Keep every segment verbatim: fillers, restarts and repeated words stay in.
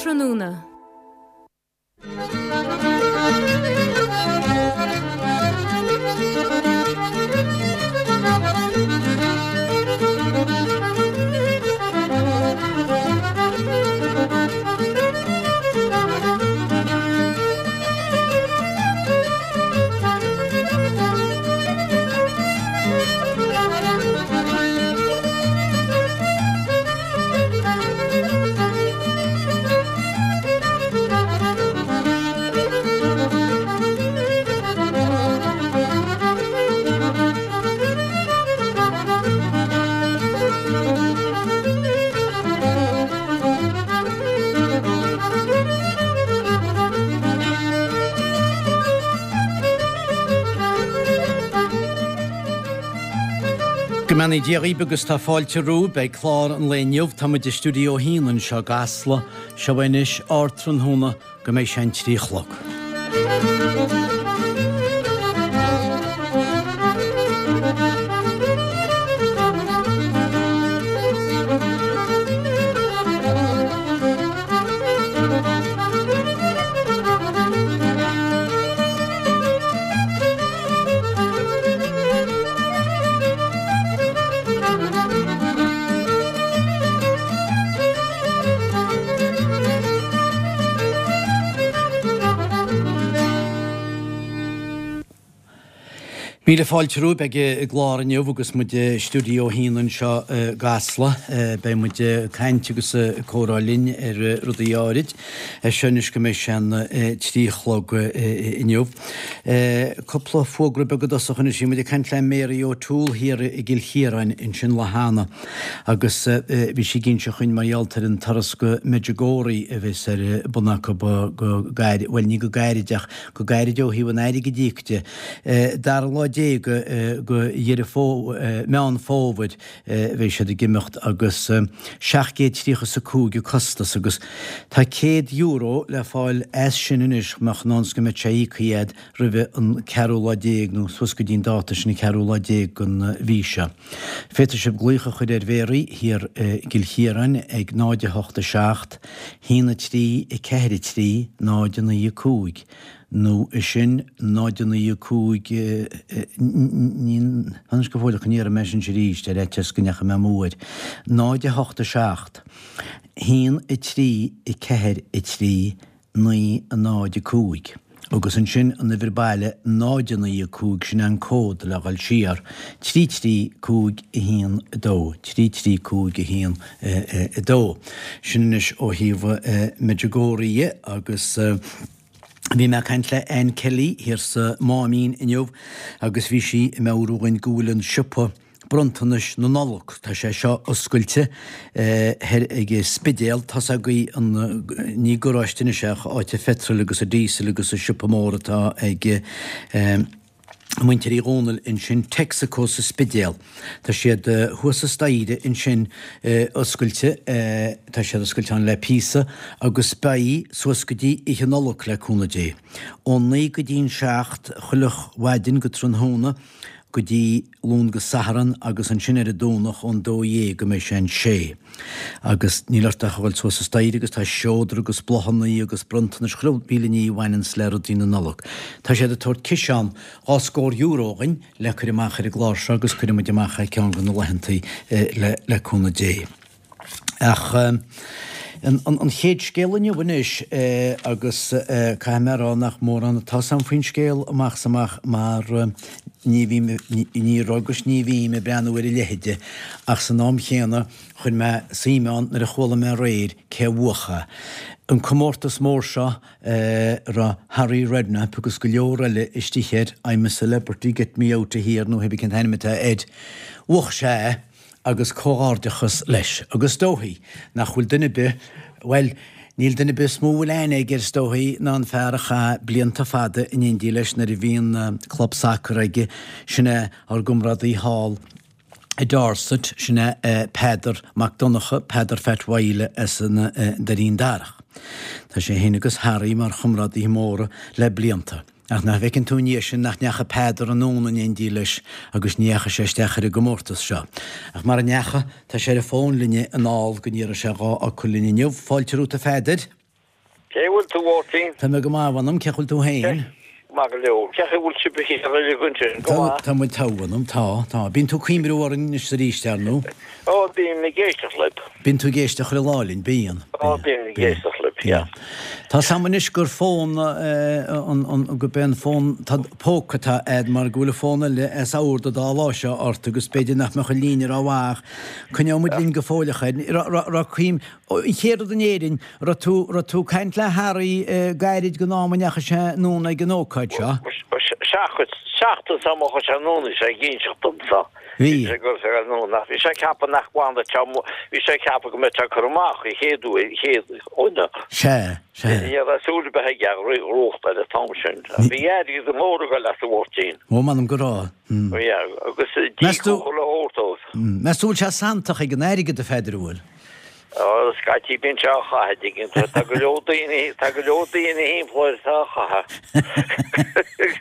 Ardtráthnóna. Go mbeannaí Dia dhaoibh agus tá fáilte romhaibh. Beidh clár an lae inniu, tá muid i Stiúideo a hAon anseo i gCasla. Seo anois Ardtráthnóna go mbeidh sé an trí a chlog. Míle fáilte romhaibh. Beidh an clár inniu agus muid i Stiúideo a hAon anseo i gCasla. Beidh muid ag caint agus ag comhrá linn ar rudaí áirid. É seo anois go mbeidh sé an trí a chlog inniu. Cúpla fógra beag i dtosach anois. Bhí muid ag caint le Mary O'Toole thiar i gCill Chiaráin ansin lá cheana agus bhí sí ag inse chugainn mar gheall ar an turas go Medjugorje a bheas ar bun acu go gairid, bhuel ní go gairid ach go gairid ó thaobh an airgid a íoc de. Dara lá déag de Dheireadh Fómhair, Meán Fómhair a bheidh siad ag imeacht agus seacht gcéad tríocha is a cúig an costas agus tá céad euro le fáil as sin anois mbeadh in ann 's go mbeadh sé íoctha a'd roimhe an ceathrú lá déag nó suas go dtí an dáta sin an ceathrú lá déag den mhí seo. Féadfaidh sibh glaoch a chur ar Mhéaraí thiar i gCill Chiaráin ag náid a hocht a seacht, haon a trí, a ceathair a trí, náid a naoi a cúig. Nó é sin, náid a naoi a cúig, ní, anois go fóill go n-iarrfaidh mé sin arís ar fhaitíos go ndeachaigh mé amú air, náid a hocht a seacht, haon a trí a ceathair a trí, naoi a náid a cúig. Agus ansin an uimhir baile náid a naoi a cúig, sin é an cód le dhul siar, trí trí cúig a haon a dó, trí trí cúig a haon a dó. Sin anois ó thaobh Medjugorje agus. Bhí mé ag caint le Anne Kelly thiar sa Máimín inniu agus bhí sí ag meabhrú dhúinn go bhfuil an siopa bronntanais na Nollag, tá sé seo oscailte thoir ag an Spidéal, tá's agaibh an, ní garáiste anois é ach áit an phetrol agus an diesel agus an siopa mór atá ag Muintir Uí Dhónaill ansin, Texaco sa Spidéal. Tá siad thuas an staighre ansin oscailte, tá siad oscailte ann le píosa agus beidh suas go dtí Oíche Nollag le cúnamh Dé. Ón naoi go dtí an seacht chuile mhaidin go tráthnóna go dtí Luan go Satharn agus ansin ar an Domhnach ón dó dhéag go mbeidh sé an sé. Agus níl ort ach a dhul suas an staighre agus tá seodra agus bláthannaí agus bronntanais chuile mhíle ní a bhaineanns le rudaí na Nollag. Tá siad ag tabhairt ciseán dhá scór euro dhuinn le cur amach ar an gclár seo agus cuirfidh muid amach é ceann de na laethantaí le le cúnamh Dé. Ach an an chéad scéal inniu anois agus caithfidh mé a rá nach mórán atá 's a'm faoin scéal amach 's amach mar ní bhím ní raibh agus ní bhím ag breathnú ar a leithide ach san am chéanna Chuir mé suim ann nuair a chuala mé aréir cé a bhuach é. An comórtas mór seo a raibh Harry Redknapp agus go leor eile istigh air, I'm a celebrity, get me out of here nó hébí cén t-ainm atá air. Bhuach sé é agus comhghairdeachas leis. Agus is dóichí nach bhfuil duine ar bith, bhuel, níl duine ar bith is mó a bhfuil aithne aige air is dóichí ná an fear a chaith blianta fada in éindí leis nuair a bhí an club sacair aige, sin é ár gcomrádaí thall i Dorset, sin é Peadar Mac Donncha, Peadar Phat Mhaíle as an Doirín Darach. Tá sé féin agus Harry mar chomrádaithe móra le blianta. Ach nach bhfeiceann tú i ndiaidh sin nach ndeachaigh Peadar anonn in éindí leis agus ní dheachaigh sé isteach ar an gcomórtas seo. Ach mara ndeachaigh, tá sé ar an bhfón linne anall go n-iarrfaidh sé dhá fhocal linn inniu. Fáilte romhat a Pheadair. Cé bhfuil tú Mháirtín? Tá mé go maith, a mh'anam, cén chaoi bhfuil tú féin? Maith go leor. Cén chaoi bhfuil sibh thiar uilig ansin? Go maith? Tá muid togha, a mh'anam, tá, tá. Bíonn tú ag cuimhniú orainn anois is arís, ar ndóigh. Ó, bím ag éisteacht libh. Bíonn tú ag éisteacht chuile lá linn, bíonn. Ó, bím ag éisteacht libh, yeah. Tá 's a'm anois gur fón, an, an, gurb é an fón póca atá a'd mar go bhfuil an fón eile as ord an dá lá seo ort agus b'fhéidir nach mbeadh an líne rómhaith ach coinneoidh muid linn go fóill a chara. Raibh cuim, An chéad rud in Éirinn, raibh tú, raibh tú ag caint le Harry gairid den am a ndeachaigh sé anonn ag an ócáid seo? Seachtain, seachtain sula ndeachaigh sé anonn bhí sé ag inseacht domsa. Bhí. Bhí sé ag dul sé anonn ach bhí sé ag ceapadh nach bhfanfadh sé, bhí sé ag ceapadh go mbeadh sé curtha amach an chéad uair, an chéad dhuine. Sea, sea. Ní raibh súil ar bith aige a ghnóthachtáil an t-am sin. Bhí airgead mór ag dul as a Mháirtín. Ó, m'anam go raibh. Bhí, agus Meas tú, dícúchadh le thabhairt dóibh. meas tú bhfuil sé santach ag an airgead a Pheadair, an bhfuil? Ó, scaití bíonn sé á chaitheamh, tuigeann tú. Tá go leor daoine, tá go leor daoine thimpeall air atá á chaitheamh.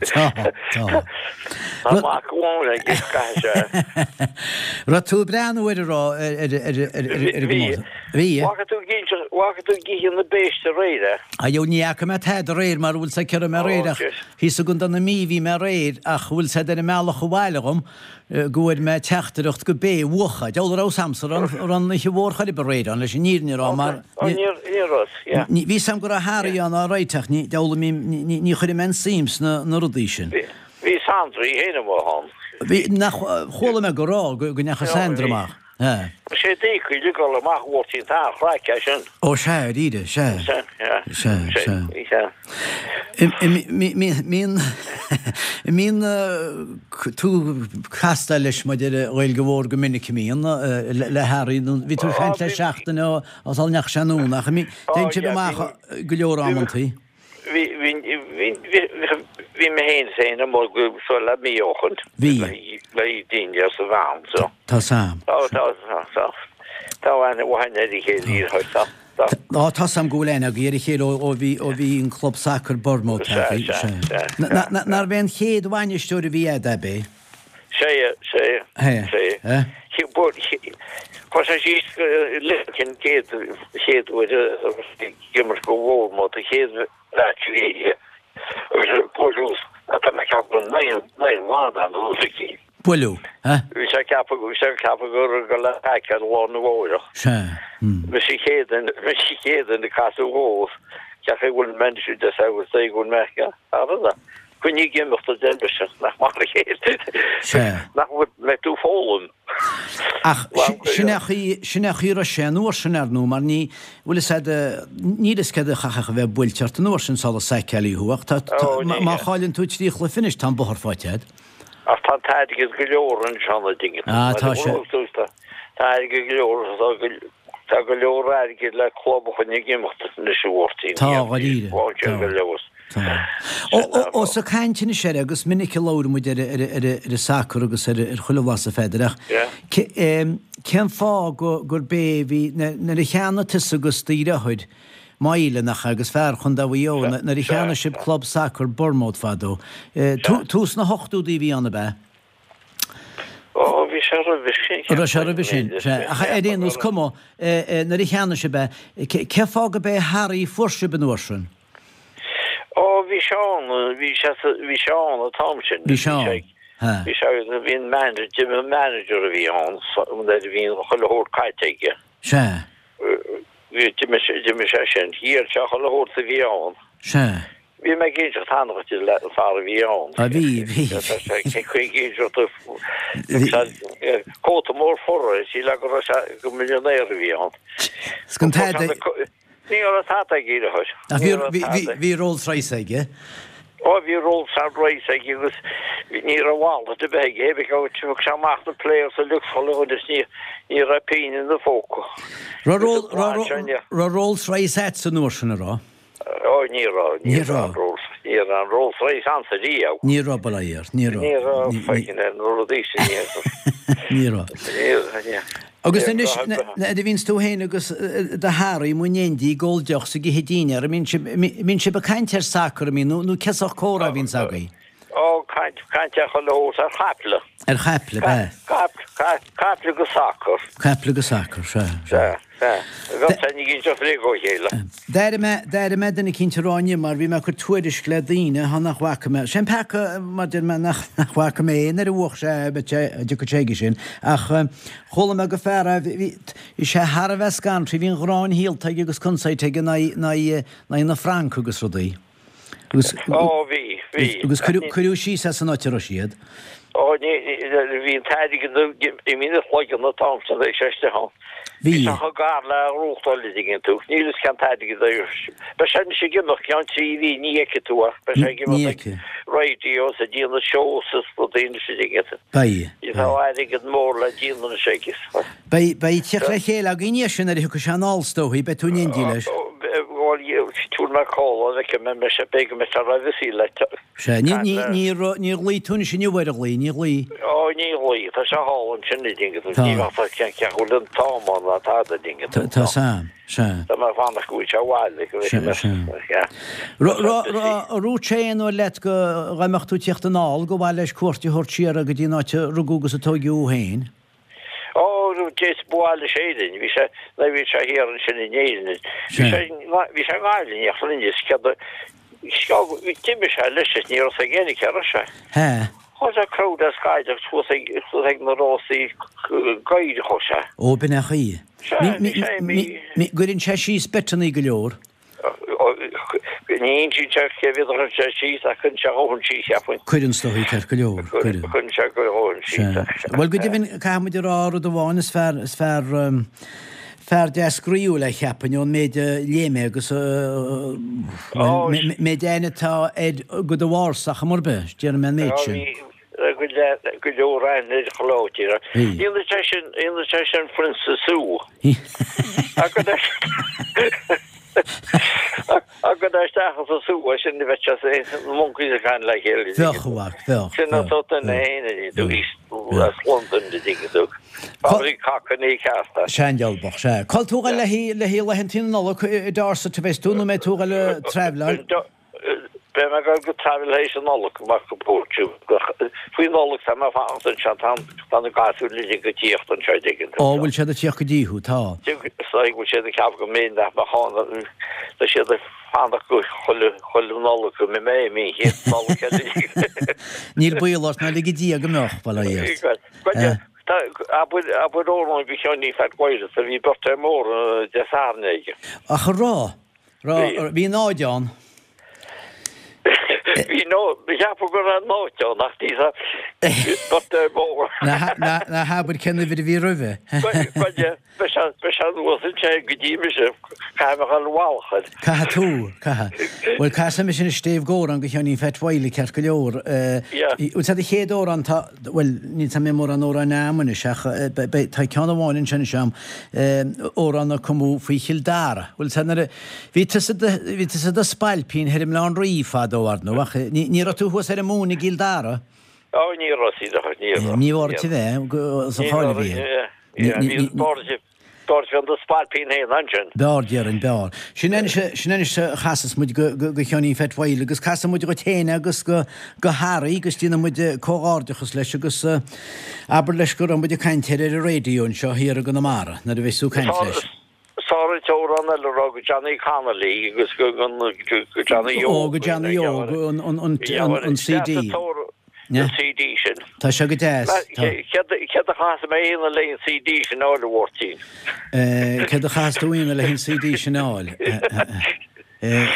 Tá, tá. Tá mac amháin aige, caithfidh sé. Raibh tú ag breathnú ar an raibh, ar, ar, ar, ar, ar an Bhí. gcomórtas? Bhí. Bhfaca tú ag inseacht, bhfaca tú ag ithe na béiste aréir é? A dheabhail, ní fhaca mé tada aréir mar bhfuil 's a'd cé raibh mé aréir ach thíos i gContae na Mí bhí mé aréir ach bhfuil 's a'd ar an mbealach abhaile dhom, go bhfuair mé teachtaireacht go b'é a bhuachadh. Deabhal a raibh 's a'msa an raibh an oíche mhór chor ar bith aréir ann leis an fhírinne a rá mar ní bhí 's a'm go raibh Harry ann alright ach ní deabhal ní ní chuirim aon suim sna na rudaí sin. Bhí Sandra í féin amuigh ann. Bhí nach chuala mé go raibh go ndeachaigh Sandra amach. Tá sé deacair le dul amach Mháirtín tá an chraic é sin. Ó sea, dáiríre, sea. Sea, Sea, sea. sea. Mbíonn mbíonn tú ag castáil leis maidir le Gaeilge Mhór go minic a mbíonn le Harry nó bhí tú ag caint leis seachtain ó sula ndeachaigh sé anonn ach téann sibh amach go leor amantaí. Bhí, bhí, bhí, bhí mé féin féin amuigh go seo le mí ó shin. Bhí. Le daoine as an bhean so. Tá 's a'm. Tá, tá, tá, tá. Tá aithne mhaith ar a chéile iar tá. Tá. Á tá 's a'm go bhfuil aithne agaibh ar a chéile ó bhí ó bhí an club sacair Bournemouth Sea, agaibh. sea, Sea. sea. Nárbh é an chéad bhainisteoir a bhí a'd ab é? Sea, sea, Hé, sea. hé. Chuir sé síos Lincoln chéad chéad uair a ag imirt go Bournemouth an chéad mheaits a bhí aige agus buaileadh tá mé ag ceapadh naoi naoi mbliana nó rud éicint. Buaileadh, hé? Bhí sé ag ceapadh bhí sé ag ceapadh gur go le feiceáil lá arna mhárach. Sea. Hmm. Mise an chéad duine mise an chéad duine a casadh dhó cén chaoi a bhfuil mé anois de agus é go bhfuil mé thar Coinnigh ag imeacht a deir mise, nach mar a chéile. Sea. Nach bhfuil mbeidh tú ag foghlaim. Ach sin é an chaoi, sin é an chaoi a raibh sé an uair sin, ar ndóigh, mar ní, bhfuil fhios a'd, níl fhios céard a chaithfeadh a bheith buailte ort an uair sin sula saiceáilí thú, ach tá, tá, Ó, ní má hea. chailleann tú trí chluiche anois, tá an bóthar faighte a'd. Ach tá an t-airgead go leor ansin, a dtuigeann tú. Ah, tá sé. Tá, tá airgead go leor, tá go, tá go leor airgid le club a choinneáil ag imeacht anois a Mháirtín. Tá, dháiríre, Tá tá. go leor. Ó, ós ag caint anois air, agus minic a labhair muid ar ar ar an sacar agus ar ar chuile bhlas a Pheadair, ach cén fáth go gurb é a bhí, nuair a cheannaigh tusa agus do dheartháir, Myla, nach ea, agus fear Chontae Mhaigh Eo, nuair a cheannaigh sibh club sacair Bournemouth fadó, tús na hochtóidí a bhí ann, ab ea? Ó, bhí sé roimhe sin. Raibh sé roimhe sin, sea. Ach ar aon nós, cuma, nuair a cheannaigh sibh é, cén fáth go b'é Harry a fuair sibh an uair sin? Ó, bhí sé ann, bhí sé, bhí sé ann an t-am sin. Bhí sé ann, ha. Bhí sé, bhí an manager, an manager a bhí ann, nuair a bhí an chuile shórt caite aige. Sea. Bhí, d'imigh sé, d'imigh sé sin. Dhíol sé chuile shórt a bhí ann. Sea. Bhí mé ag inseacht cheana duit le an fear a bhí ann. A bhí, bhí. Cén chaoi ag inseacht cóta mór fur síle go raibh sé go millionaire a bhí ann. 'S gan tada. Ní raibh tada aige ar chor. Ach bhí, bhí, bhí, bhí Rolls Royce aige. Ó bhí Rolls Royce aige agus ní raibh wallet ar bith aige. Bhí thug sé amach na players uilig chuile dhuine is ní, ní raibh pingin ina phóca. Raibh Roll, raibh, raibh Rolls Royce a'dsa an uair sin, a raibh? Ó ní raibh, ní raibh. Ní raibh an Rolls Royce a'msa riamh. Ní raibh, bail ó Dhia ort, ní raibh. Ní raibh fucking na rudaí sin, ní raibh. Ní raibh. Ní raibh, ní. Agus anois, nuair a bhíonns tú féin agus do Harry amuigh in éindí ag ól deoch 's ag ithe dinnéar, an mbíonn sibh, mbíonn sibh ag caint ar sacar, an mbíonn, nó, nó cén sórt comhrá a bhíonns agaibh? Ó, caint, caint ar chuile shórt, ar chaiple. Ar chaiple, ab ea? Caiple, caiple agus sacar. Caiple agus sacar, sea, sea. Sea, Sea. Bheadh sé ní ginn seo fréamh ó chéile. D'airigh mé, d'airigh mé duine eicínt ag rá inniu mar bhí mé ag cur tuairisc le daoine thá nach bhfaca mé, sé an peaca mar deir mé nach, nach bhfaca mé é nuair a bhuach sé, beidh sé, a dtiocfaidh sé aige sin, ach chuala mé go fear a bhí, bhí sé thar a bheith scanraithe, bhí an ghráin shaolta aige agus consaeit aige in aghaidh, in aghaidh, in aghaidh na Fraince agus rudaí. Agus, Ó bhí, bhí. agus cuireadh, cuireadh síos as an áit a raibh siad. Ó ní, bhí an t-airgead imithe ina chloigeann an t-am san ag sé isteach ann. Bhí. Bhí sé chomh gar le gnóthachtáil an dtuigeann tú. Níl fhios cén t-airgead é. Beidh sé anois ag imeacht ceann trí mhí, ní fheicfidh tú ach beidh sé ag Ní imeacht ag fheicfidh. radios ag déanamh shows is rudaí anois an dtuigeann tú. Beidh. Tá airgead mór le déanamh anois aige. Beidh, beidh teacht le chéile againn é sin nuair a thiocfaidh sé anall is dóichí, beidh tú in éindí leis. Bhuel, tabharfaidh mé call air, feicfidh mé an mbeidh sé, beidh go mbeidh sé roimh a saol le Sea, ní, ní, níor, níor ghlaoigh tú anois inniu ar a ghlaoigh, níor ghlaoigh. Ó, níor ghlaoigh, tá sé thall ansin an dtuigeann tú, Tá. ní bheadh cén ceann bhfuil an t-am ann ná tada an dtuigeann tú. Tá, tá Sam, sea. Tá mé ag fanacht go bhfuil sé abhaile, go Sea, bhfeicfidh sea. mé, yeah. Ra, ra, ra, dúirt sé aon uair leat go dá mbeadh tú ag tíocht anall, go mhaith leis cuairt a thabhairt siar go dtí an áit a rugadh agus a tóigeadh thú féin? Ó, déas buail leis Éirinn, bhí sé, nó bhí sé thiar ansin in Éirinn. Bhí Sea. sé, bhí sé i nGaillimh, ach rinne cead d'imigh sé leis is ní raibh sé ag aon cé raibh sé. He. Chuaigh sé crowd as Gaillimh suas ag suas ag na Rósaí Gaeilge chuaigh sé. Ó, b'in é an chaoi. Sea, Mi, mi, bhí sé mi, mi mi, gcuireann sé síos beiteannaí go leor. Ní insíonn sé cé mhéad a chuireann sé síos ach cuireann sé a dhóthain síos, cheapfainn. Cuireann is dóichí ceart go leor, cuireann. Cuireann sé a dhóthain síos. Sea. Bhuel, go deimhin, caithfidh muid a rá rud amháin, is fear, is fear, fear deas groíúil é cheapfainn ón méid a léigh mé agus, bhuel, méid aithne atá air go do bharr-sa chuma ar bith, déarfaidh mé an méid Á, sin. bhí go leor, go leor aithne ar chuile áit, you know. Bhí. Ionann sé sin, ionann sé sin Phrionsa Sue. Agus Agus isteach sa sú sin bheadh sé na monkeys ag caint le chéile. Bheadh, a mhac, bheadh, Sin an bheadh, sórt duine bheadh, féin a bhí tú bheadh. as Londain an dtuigeann tú. Fabhraí cacannaí cearta. Seandealbhach, sea. Cá bhfuil tú a ghoil le haghaidh le haghaidh laethantaí na Nollag i Dorset a bheas tú nó mbeidh tú a ghoil ag traibhleáil? Beidh mé ag dul go traibhleáil théis an Nollag amach go Portugal. Faoi Nollaig tá mé ag fanacht anseo, tá tá na gasúir uilig ag tíocht anseo an dtuigeann tú. Ó, bhfuil siad ag tíocht go dtí thú, tá. Is dóigh go bhfuil siad ag ceapadh go mbeinn nach mbeadh ann, tá siad ag fanacht go chuile chuile Nollaig go mbeidh mé imithe an chéad Nollaig eile. Níl baol ort ná lige Dia go mbeadh, bail ó Dhia ort. Bhuel, tá abair abair amhrán go Sheáinín Phat Mháire, a bhí birthday mór Dé Sathairn aige. Ach a rá, rá, Bhí. bhí náid ann. Bhí nó cheapadh go raibh náid ann ach ní birthday mór. Ná ná ná habair cén uimhir a bhí roimhe. Bhuel, beidh sé beidh sé anuas ansin go dtí mise, caithfidh mé dhul bhalchair. Caithfidh tú, caithfidh. Bhuel, casfaidh mise anois Dave Góran go Sheáinín Phat Wiley ceart go leor. Yeah. Bhuel, tá do chéad amhrán tá, bhuel, níl tá mé mórán amhráin a'm anois ach eh, be- tá ceann amháin ansin anois a'm, eh, amhrán a cumadh faoi Chill Dara. Bhuel, tá nuair a bhí tusa do bhí tusa do spailpín thoir i mBleá an Rí fadó ar ndóigh, ach ní ní raibh tú thuas ar an mún i gCill Dara. Ó, ní raibh sí, ní raibh. Ní raibh a bheith go- sa cháil a bhí. Ní- ní- ní- B'fhearr bheith do spailpín féin ansin. B'fhearr, déarfainn, b'fhearr. Sin anois, sin anois a chasas muid go, go, go Sheáinín Phat Wiley agus casfaidh muid dhuit féin agus go, go Harry agus déanfaidh muid comhghairdeachas leis agus uh, abair leis go raibh muid ag caint air ar an raidió anseo thiar i gConamara nuair a bheas tú ag caint leis. Sár amhrán eile rá go Johnny Connolly agus go go go Johnny Ó, go Johnny Óg, an, an, an, an, an CD. An CD sin. Tá sé go deas. Tá. Céard a chas mé aon le an CD sin áil a Mháirtín. Eh, Céard a chas tú aon le an CD sin áil. Eh,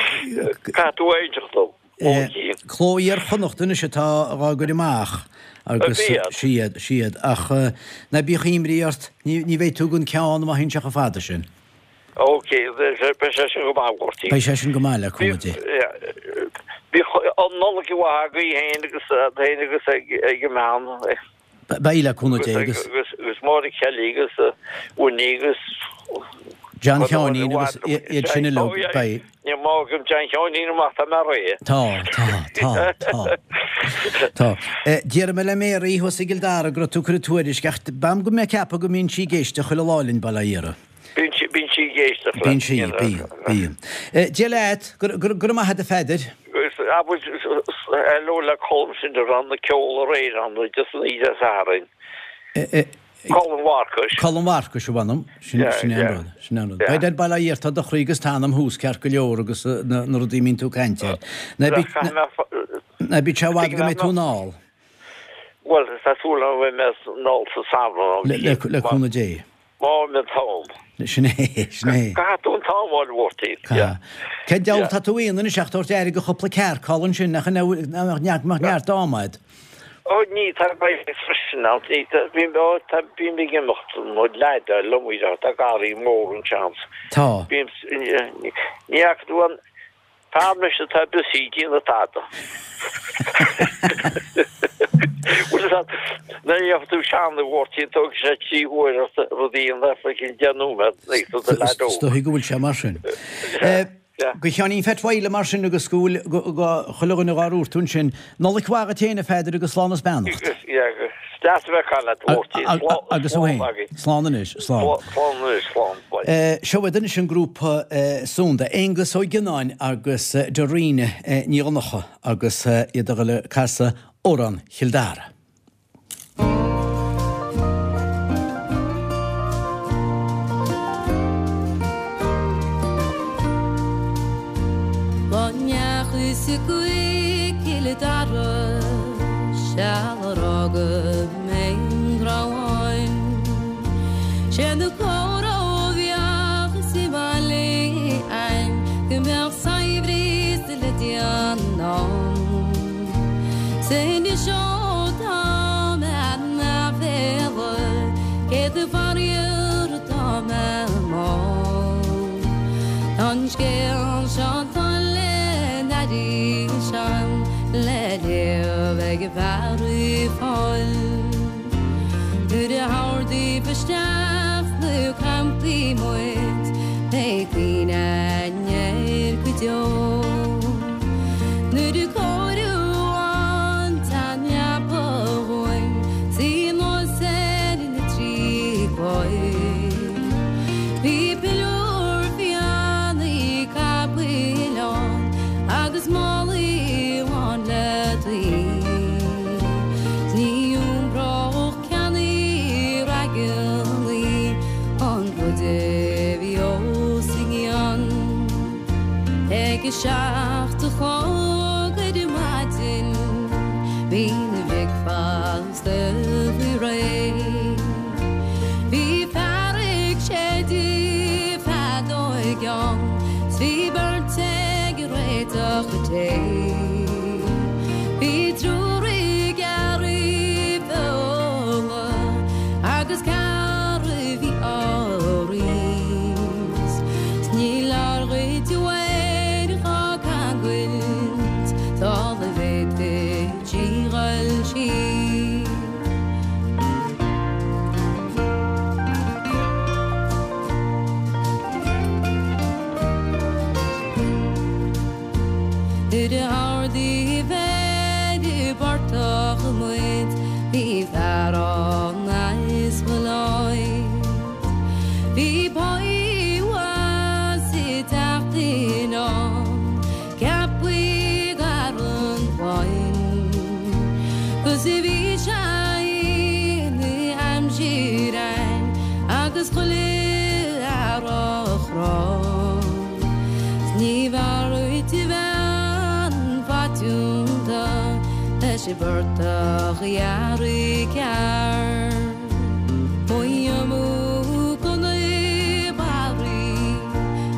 Cá tú éisteacht dom. Eh, Cló Iar-Chonnacht anois atá dhá gcur amach agus Bhí iad. siad siad ach eh, ná bíodh imní ort ní ní bheidh tú gan ceann má théann sé chomh fada sin. Ok, beidh sé sin go maith Mháirtín. Beidh sé sin go maith le cúnamh Dé. Bhí an Nollaig mhaith agaibh féin agus féin agus ag ag an mbean. Beidh le cúnamh Dé agus agus agus Máire Kelly agus Winnie agus John Sheáinín agus iad sin uilig beidh. Ní má go John Sheáinín amach tá mé réidh. Tá, tá, tá, tá. Tá. Déarfaidh mé le Mary thuas i gCill Dara go raibh tú ag cur tuairisc ach b'am go mbeadh ceapadh go mbíonn sí ag éisteacht chuile lá linn bail ó Dhia uirthi. Bíonn sí bíonn sí ag éisteacht Bíonn sí, bíonn, bíonn. Dia leat, go raibh maith agat a Pheadair. Abair hello le Colm sin de ran na ceol aréir an just an Dé Sathairn. Colm Mharcais. Colm Mharcais a bhainm, sin sin an rud, sin an rud. Beidh ar baile iar tá do chroí agus t'anam thuas ceart go leor agus na na rudaí mín tú caint air. Ná bí ná bí sé bhfad go mbeidh tú anall. Bhuel, tá súil agam go mbeidh mé anall sa samhradh. Le le le cúnamh Dé. Má an t-am. Sin é, sin é. Caithfidh tú an t-am a fháil, a Mháirtín. Caithfidh. Cén diabhal tá tú a dhéanamh anois ach tabhairt aire do chúpla cearc thall ansin, nach nach mbeadh neart ama agat? Ó ní, tá beidh freisin ann, ní, tá, bím, ó, tá, bím ag imeacht nó leaid liom í, tá garraí mór ansin. Tá. Bím, ní fhaca tú an fear anois atá busy ag déanamh tada. Bhfuil fhios agat, nuair a gheobhaidh tú sean a Mháirtín, tógfaidh sé trí huaire ort rud a dhéanamh faoi cheann deich nóiméad, ag tú do leaid óg. Is dóigh go bhfuil sé mar sin. Go Sheáinín Pheait Mhaidhc mar sin agus go bhfuil go chuile dhuine dhár dhúirt tú ansin. Nollaig mhaith dhuit fhéin a Pheadair agus slán is beannacht. Is deas a bheith ag caint leat a Mháirtín. Agus thú fhéin. Slán anois. Slán. Slán anois. Slán. Seo iad anois an grúpa Sunda, Aonghus Ó Gionnáin agus Doireann Ní Dhonncha agus iad a dhul ag casadh Amhrán Chill Dara. Dá ndeachthas go Cill Dara seal ar fhága mé an rabhainn. Sé na comhrá a bheadh sa mbaile ann go mbeadh saibhreas le déanamh ann. 'S anois ó tá mé in aiféala céad faraor tá mé mall. Tá an scéal seo le arís ann le léamh ag fear Uíbh Fhailí. Nuair a hordaíodh isteach sna campaí muid beidh cuimhne againn air go deo. Nuair a cóiríodh an tseanleapa dhúinn suí anuas ar na trí chlaí. Bhí piliúr fiannaí capaill ann agus málaí lán le tuí. 'S ní iompródh ceannaí raigeannaí an rud a bhí os a gcionn. Ag a seacht a chlog ar maidin bhí na bricfeasta faoi réir. Bhí fear ag séideadh feadóig ann, 's bhí beirt ag réiteach an tae. Bhí triúr ag gearradh feola agus ceathrar a bhí á roinnt. 'S ní leor dhuit uair dhá cangailt, sula bhféadfaí díghail siar. Nuair a ardaíodh ar an bportach muid, bhí fear ann as Maláiv. Bhí páí mhaith sa teach in ann, ceapaí gar an bhain. 'Gus bhí sé ina aimsir ann agus chuile fhear á chrá. 'S ní bhfearr dhuit a bhean phaitiúnta leis an bportach a ghearradh cearr. Moy amú go na barraí,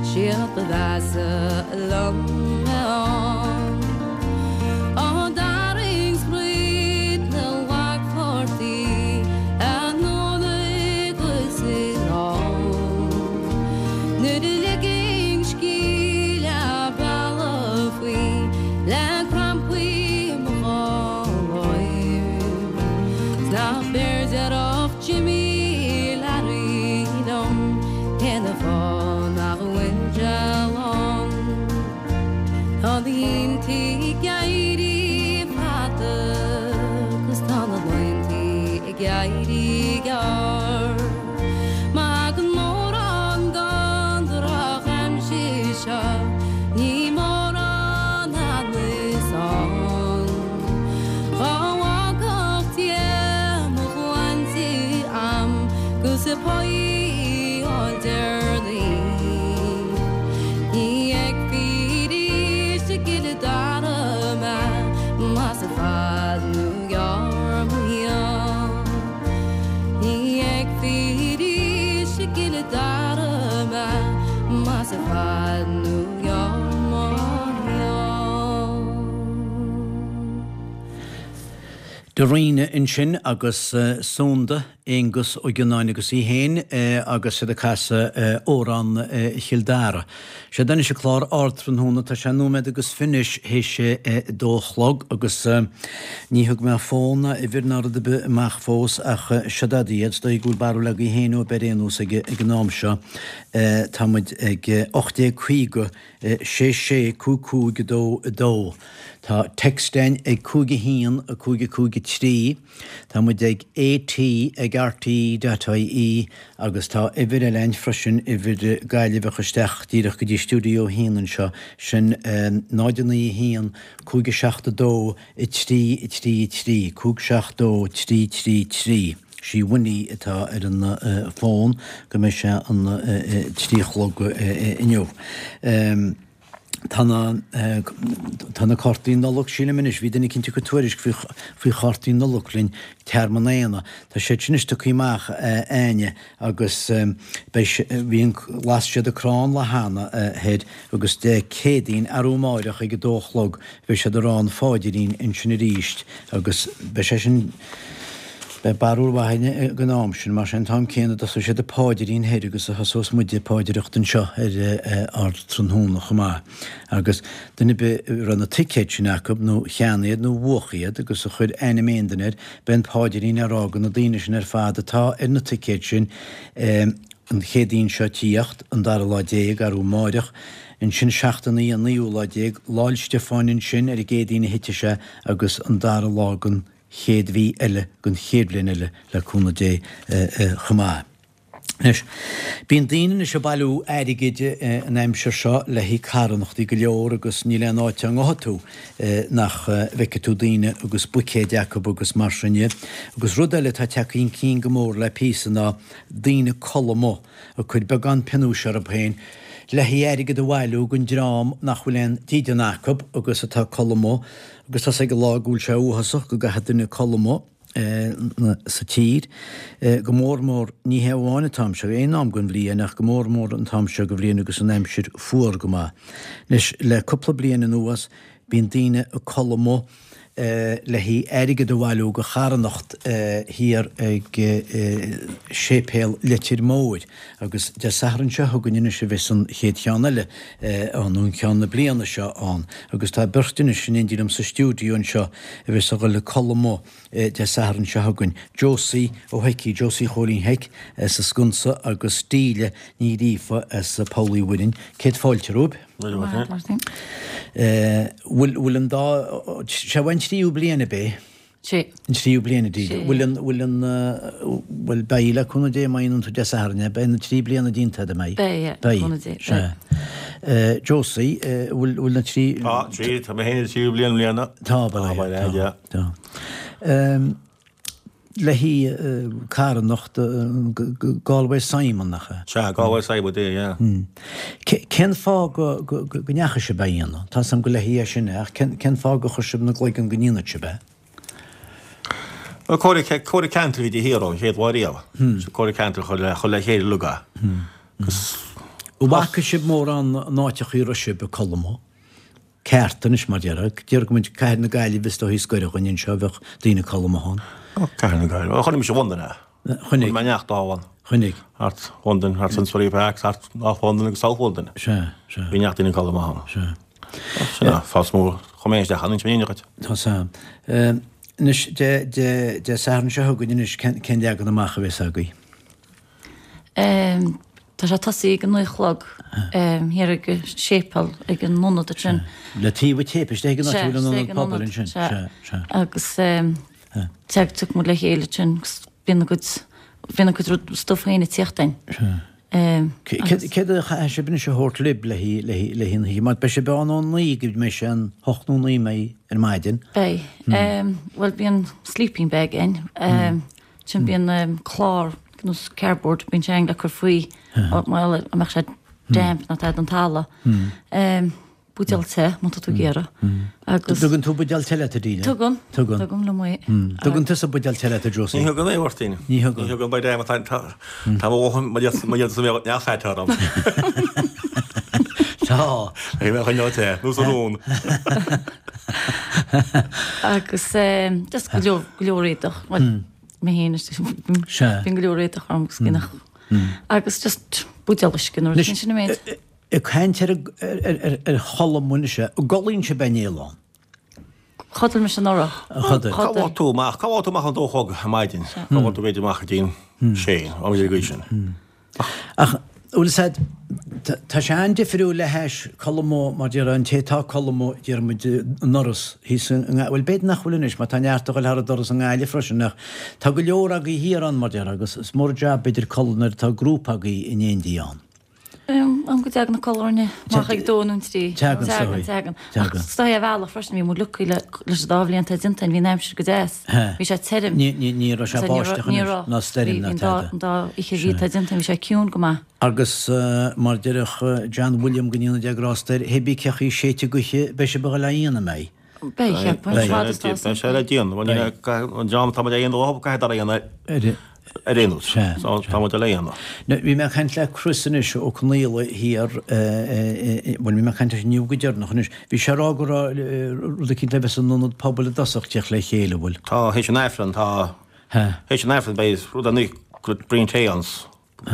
siad ba mheasa liom ann. Á dtarraing sprid na lagphortaí anonn agus anall. Nuair a liginn scíth leath bealaigh faoi le crampaí mo dhá láimh. 'S nach b'fhearr déarfadh Jimmy Larry liom cén fáth nach bhfuil sé lán. Tá na Chill Dara mé más i bhfad nó gearr mo shaol. Dairena ansin agus Sunda, Aonghus Ó Gionnáin agus í féin agus iad ag casadh Amhrán Chill Dara. Sé anois an clár Ardtráthnóna, tá sé nóiméad agus fiche théis a dó a chlog agus ní thug mé fón ná uimhir ná rud ar bith amach fós ach seo iad, is dóigh go bhfuil barúil agaibh féin ó ar aon nós ag an am seo. Tá muid ag ocht déag caoga sé sé cúig cúig a dó a dó. Tá text againn ag cúig a haon a cúig a cúig a trí. Tá muid ag AT ag RTE.ie agus tá uimhir eile againn freisin uimhir Gaillimheach isteach díreach go dtí stiúideo a haon anseo sin náid a naoi a haon cúig a seacht a dó a trí a trí a trí cúig seacht dó trí trí trí. Sí Winnie atá ar an fón go mbeidh sé an trí a chlog inniu. Tá na tá na cártaí Nollag sílim anois, bhí duine eicínt ag cur tuairisc faoi faoi chártaí Nollag linn Tearmann Éanna. Tá siad sin anois tugtha amach Áine agus beidh bhí an las siad an crann lá cheana thoir agus Dé Céadaoin arú amáireach ag a dó a chlog bheidh siad ag rá an pháidrín ansin arís agus beidh sé sin Beidh barúil mhaith againn ag an am sin, mar sé an t-am céanna a dtosóidh siad an pháidrín thoir agus a thosós muide paidreoireacht anseo ar Ardtráthnóna chomh maith. Agus duine ar bith a raibh na ticéid sin acu, nó cheannaigh iad nó bhuach iad agus a chuir ainm aon duine air, beidh an paidrín á rá do na daoine sin ar fad atá ar na ticéid sin an Chéadaoin seo tíocht, an dara lá déag, arú amáireach, ansin seachtain an naoú lá déag, Lá 'le Stiofáin ansin ar an gCéadaoin a thitfidh sé agus an dara lá den chéad mhí eile den chéad bhliain eile le cúnamh Dé chomh maith. Anois, bíonn daoine anois ag bailiú airgid an aimsir seo le haghaidh carthanachtaí go leor agus níl aon áit a ngabhfaidh tú nach bhfeicfidh tú daoine agus buicéid acu agus mar sin de. Agus rud eile atá tagtha chun cinn go mór le píosa ná daoine ag codladh amuigh, ag cur beagán pionóis orthu féin le haghaidh airgead a bhailiú don dream nach bhfuil aon dídean acu agus atá ag codladh amuigh. Agus tá's ag an lá go bhfuil sé uafásach go gcaithfidh duine codladh amuigh sa tír, go mór mór, ní hé amháin an t-am seo, aon am den bhliain, ach go mór mór an t-am seo den bhliain agus an aimsir fuar go maith. Anois, le cúpla bliain anuas, bíonn daoine ag codladh amuigh le haghaidh airgead a bhailiú do charthanacht thiar ag Séipéal Leitir Móir agus Dé Sathairn seo chugainn anois a bheas an chéad cheann eile ann, nó an ceann na bliana seo ann agus tá beirt anois in éindí liom sa stiúideo anseo a bheas ag dul ag codladh amuigh Dé Sathairn seo chugainn, Josie Ó hIcí, Josie Chóilín Mhic as an Sconsa agus Delia Ní Ghríofa as Poll Uí Mhuirinn. Céad fáilte romhaibh. Bhfuil bhfuil an dá sé an tríú bliain ab é? Sé. An tríú bliain a Delia. Bhfuil an bhfuil an bhfuil beidh le cúnamh Dé má dhéanann tú Dé Sathairn é, beidh na trí bliana déanta agat, an mbeidh? Beidh, le cúnamh Dé. Sea. Josie, bhfuil bhfuil na trí Tá, trí, tá mé féin sa tríú bliain i mbliana. Tá, beidh, tá, tá. Le haghaidh carthanacht Galway Simon, nach ea? Sea, Galway Simon Day, yeah. Cén fáth go ndeachaigh sibh á dhéanamh? Tá 's agam go le haghaidh é sin é, ach cén fáth gur chuir sibh ina gcloigeann go ndéanfadh sibh é? Bhuel, Comhairle Ceantair a bhí de shíor ón chéad lá riamh. So Comhairle Ceantair chur le chur le chéile uilig é. Agus. An bhfaca sibh mórán áiteachaí a raibh sibh ag codladh amuigh? Ceart anois mar déarfá. Déarfaidh go mbeadh Cathair na Gaillimhe is dóichí is gaire dhuinn anseo bheadh daoine ag codladh amuigh ann. Ó, Cathair na Gaillimhe. Ó, chonaic mise i Londain é. Chonaic. Chonaic mé neart dóibh ann. Chonaic. Thart Londain, thart Finsbury Park, thart North London agus South London. Sea, sea. Bhí neart daoine ag codladh amuigh ann. Sea. Sin é, fás mór. Chuir mé isteach ann, inse mé dhuit. Tá 's a'm. Anois, Dé, Dé, Dé Sathairn seo chugainn anois, cén, cén leagan amach a bheas agaibh? Tá sé tosaithe ag a naoi a chlog thiar ag an séipéal ag an ionad ansin. Le taobh an tséipéil, istigh ag an áit a bhfuil an ionad pobail ansin. Sea, sea. Agus tiocfaidh muid le chéile ansin agus bíonn a gcuid, bíonn a gcuid rud, stuif féin ag tíocht a'inn. Sea. Céard a chaithfidh sibh anois a thabhairt libh le haghaidh an oíche? Mar beidh sibh ann ó naoi go mbeidh sé an hocht nó naoi mbeidh ar maidin. Beidh. Bhuel bíonn sleeping bag a'inn. Ansin bíonn clár nós cardboard, bíonn sé a'inn le cur faoi mar a mbeadh sé damp nó tá don talamh. buidéal tae má tá tú ag iarraidh. Agus. Tugann tú buidéal tae leat, a Delia? Tugann. Tugann. Tugaim liom é. Tugann tusa buidéal tae leat, a Josie? Ní thugann é, a Mháirtín. Ní thugann. Ní thugann, by damn, tá tá mo dhóthain, mo dhéas, mo dhéas a bheadh neamh-fhait orm. Tá. Ag mé choinneáil te, nó sa rún. Agus just go leor, go leor éadach. Bhuel, mé féin, Sea. bíonn go leor éadach orm agus gin Agus just buidéal uisce nó rud sin an méid. Ag caint ar ar chodladh anois, an gcodlaíonn sibh aon néal ann? Chodail mise anuraidh. Chodail. Cá bhfág tú amach? Cá bhfág tú amach an dó a chlog ar maidin? Cá bhfág tú b'fhéidir amach go dtí an sé, am ar an gcaoi sin. Ach bhfuil fhios a'd, tá sé an-difriúil le hais codladh amuigh mar déarfá an té atá ag codladh amuigh déarfaidh muid i ndoras thíos i nGaillimh, bhuel b'fhéidir nach bhfuil anois mar tá neart ag dul thar an doras i nGaillimh freisin ach tá go leor agaibh thiar ann mar déarfá agus is mór an jab b'fhéidir codladh nuair atá grúpa agaibh in éindí ann. Am go dtagann an codladh orainne amach ag dó nó an trí. Teagann, is Teagann, dóigh. teagann. Ach Teagann. is dóigh ar bhealach freisin bhí muid lucky le leis an dá bhliain atá déanta againn, bhí an aimsir go deas. He. Bhí sé tirim. Ní, ní, ní raibh sé Ní raibh, báisteach ní anois, raibh. ná stoirm Bhí ná an dá, tada. an dá oíche a bhí atá déanta againn, bhí sé ciúin go maith. Agus mar déarfadh John William go ndéana Dia grásta air, hé bí cé chaoi séidte gaoithe, beidh sibh ag dul á dhéanamh, an mbeidh? Beidh, cheapfainn, Beidh. fad is tá Beidh sé le déanamh. Bhuel, ní raibh, an dream atá muid a dhéanamh, caithfidh dul a dhéanamh Ar. ar aon nós. Sea, So tá muid le dhéanamh. Now, bhí mé ag caint le Chris anois Ó Conaola thiar, bhuel, bhí mé ag caint leis inniu go deireanach anois, bhí sé ag rá go raibh rud eicínt le bheith san ionad pobail i dtosach, teacht le chéile, an bhfuil? Tá, théis an Aifreann, tá, théis an Aifreann beidh rud ar nós braon tae ann,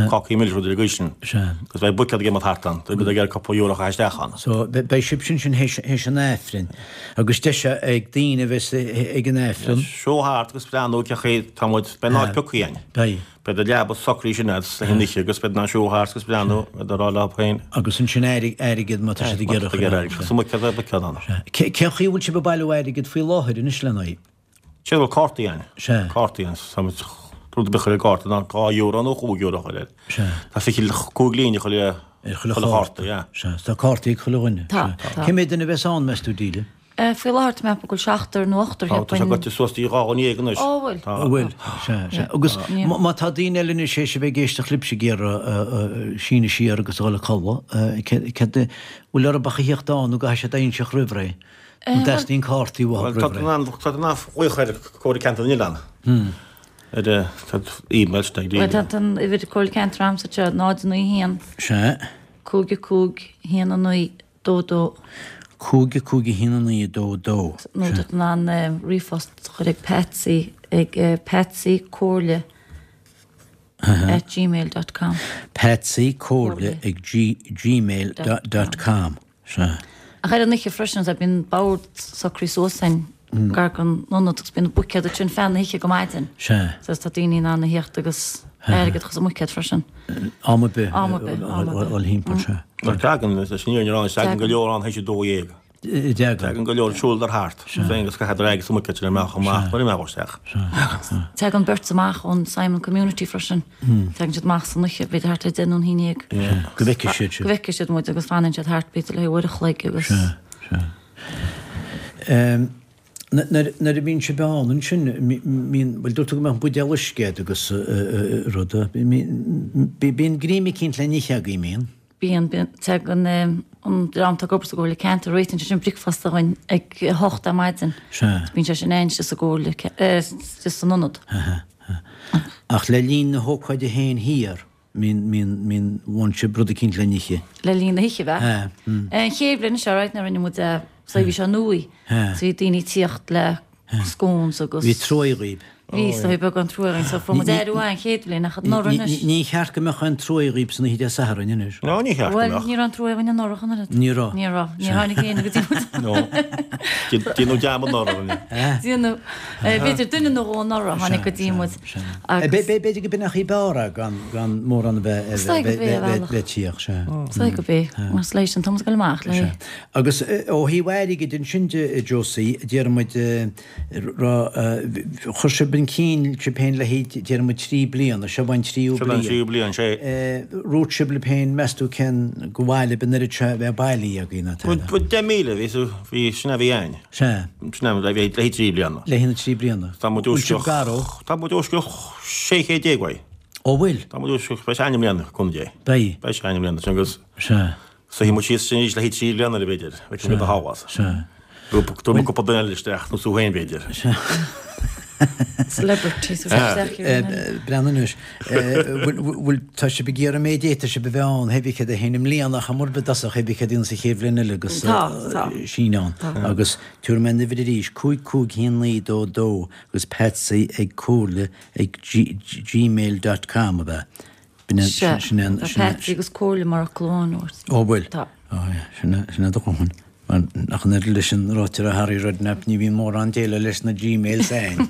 cácaí milis rud ar an gcaoi sin. Sea. Agus beidh buicéad ag imeacht thart ann, beidh ag iarraidh cúpla euro a chaitheamh isteach ann. So, beidh sibh sin sin théis an Aifrinn, agus deis ag daoine a bheas ag an Aifreann. Siúl thart agus breathnú cé chaoi tá muid, beidh an áit pioctha againn. Beidh. Beidh an leaba socraithe sin agat le haghaidh an oíche agus beidh in ann siúl thart agus breathnú, beidh a rá leo féin. Agus ansin airgead má tá siad ag iarraidh. Má tá siad ag iarraidh airgead. Sa mbuicéad, beidh buicéad ann. Cén chaoi a bhfuil sibh ag bailiú airgid faoi láthair anois lena aghaidh? Sé bhfuil cártaí ann. Sea. Cártaí ann. Tá muid rud ar bith a chur ar gcárta ná dhá euro nó chúig euro a chur air. Sea. Tá fiche cúig líne chuile Ar chuile chuile chárta. chárta, yeah. Sea. Tá cártaí ag chuile dhuine. Tá, Sea. tá. Cé mhéad duine a bheas ann, meas tú, Delia? Faoi láthair tá mé ag ceapadh go bhfuil seachtar nó ochtar, Tá, tá sé cheapfainn. goite suas dtí dhá dhuine dhéag anois. Ó, bhfuil? Tá. An bhfuil? Sea, sea. Agus Ní. má tá daoine eile anois théis a bheith ag éisteacht libhse ag iarraidh síneadh siar agus a dhul a codladh, céard, céard, bhfuil orthu ach a theacht ann nó go gcaithfidh siad a inseacht roimh ré? An dteastaíonn cártaí uathu Bhuel, tá roimh tú ré? in ann, tá tú in ann glaoch ar Comhairle Ceantair na nOileán. Ar tá email sin ag Bhuel, daoine. tá an uimhir Comhairle Ceantair a'msa seo, náid naoi haon, Sea. cúig a cúig, haon a naoi, dó dó. Cúig a cúig a haon a naoi dó dó. Nó tá tú in ann ríomhphost a chur ag Patsy ag Patsy Comhairle at gmail dot com. Patsy Comhairle ag gmail dot com. Sea. Ach ar an oíche freisin, sea, bíonn bord socraithe suas againn gar don ionad agus bíonn buicéad ansin feadh na hoíche go maidin. Sea. So tá daoine in ann a theacht agus airgead a chur sa mbuicéad freisin. Am ar bith. Am ar bith, am ar bith. Dul thimpeall, sea. Mar tagann, leis an fhírinne a rá, tagann go leor ann théis a dó dhéag. Dtagann. Tagann go leor, siúladar thart. Féin agus caitheadar airgead sa mbuicéad sin amach amach nuair a mbeadh isteach. Tagann beirt amach ón Simon Community freisin. Tagann siad amach san oíche, b'fhéidir thart ar deich nó an haon dhéag. Go bhfeicfidh siad sibh. Go bhfeicfidh siad muid agus fanann siad thart b'fhéidir le haghaidh uair a chloig agus. Sea, sea. Nuair a bhíonn sibh ann ansin, mbíonn, bhuel dúirt tú go mbeadh buidéal uisce agat agus rud, bíonn greim eicínt le n-ithe agaibh, mbíonn? Bíonn, bíonn, tagann an dream atá ag obair sa gComhairle Ceantair, réitíonn sé sin bricfeasta dhúinn ag a hocht ar maidin. Sea. Bíonn sé sin ann istigh sa gComhairle, istigh san ionad. Ach le linn na hócáide féin thiar, mbíonn, mbíonn, mbíonn, bhfaigheann sibh rud eicínt le n-ithe. Le linn na hoíche, bheadh. Sea. An chéad bhliain seo, right, nuair a rinne muid é, so bhí sé nua. Sea. So bhí daoine ag tíocht le scones agus. Bhí truaigh dhaoib. Bhí, so bhí beagán truaigh againn, so fuair muid aire uaidh an chéad bhliain ach anuraidh anois. Ní cheart go mbeadh aon truaigh dhaoib san oíche Dé Sathairn anois. No, ní cheart go Bhuel, mbeadh. ní raibh aon truaigh againn anuraidh an oiread. Ní raibh. Ní raibh. Níor tháinig éinne go dtí muid. No. Déanadh dearmad anuraidh orainne. Déanadh. B'fhéidir duine nó dhó anuraidh a tháinig go dtí muid. Agus. B'fhéidir go b'in an chaoi b'fhearr é gan gan mórán a bheith Is dóigh gurb é a bhealach. bheith tíocht, sea. Is dóigh gurb é. Mar is leis an t-am ag dul amach le. Sea. Agus ó thaobh airgid ansin de, Josie, déarfaidh muid, raibh, chuir sibh an cinn sibh féin le haghaidh, déarfaidh muid, trí bliana, seo an tríú Seo an bliain. tríú bliain, sé. Dhúirt sibh libh féin, meas tú cén go bhfaile b'in oiread seo a bheith bailithe againn, ná Bhuel, tada? deich míle, bhí, bhí, sin a bhí againn. Sea. Sin a bhí le haghaidh trí bliana. Le haghaidh na trí bliana. Tá muid Bhfuil os sibh cionn, gar ó? tá muid os cionn sé chéad déag uaidh. Ó bhfuil? Tá muid os cionn, beidh sé againn i mbliana, le cúnamh Dé. Beidh. Beidh sé againn i mbliana, sin agus Sea. So hí síos sin le hí trí bliana le b'fhéidir, le go a háhas. Tú cúpla duine isteach nó sú féin b'fhéidir. Celebrities Breanúis bhfuil tá sibh ag iarraidh méid éta sibh bheith ann hebí cad a héana mbliana chamor be dasach hebí cad sa chéad bhliain eile agus síneán agus tuair mé na arís cúig cúig haon naoi dó dó agus Patsy ag comhairle ag gmail dot com a bheith. Patsy agus comhairle mar a clón Ó bhfuil sin a do chun. Nach an leis an ráite a Harry Redknapp ní bhíonn mórán déile leis na Gmail sein.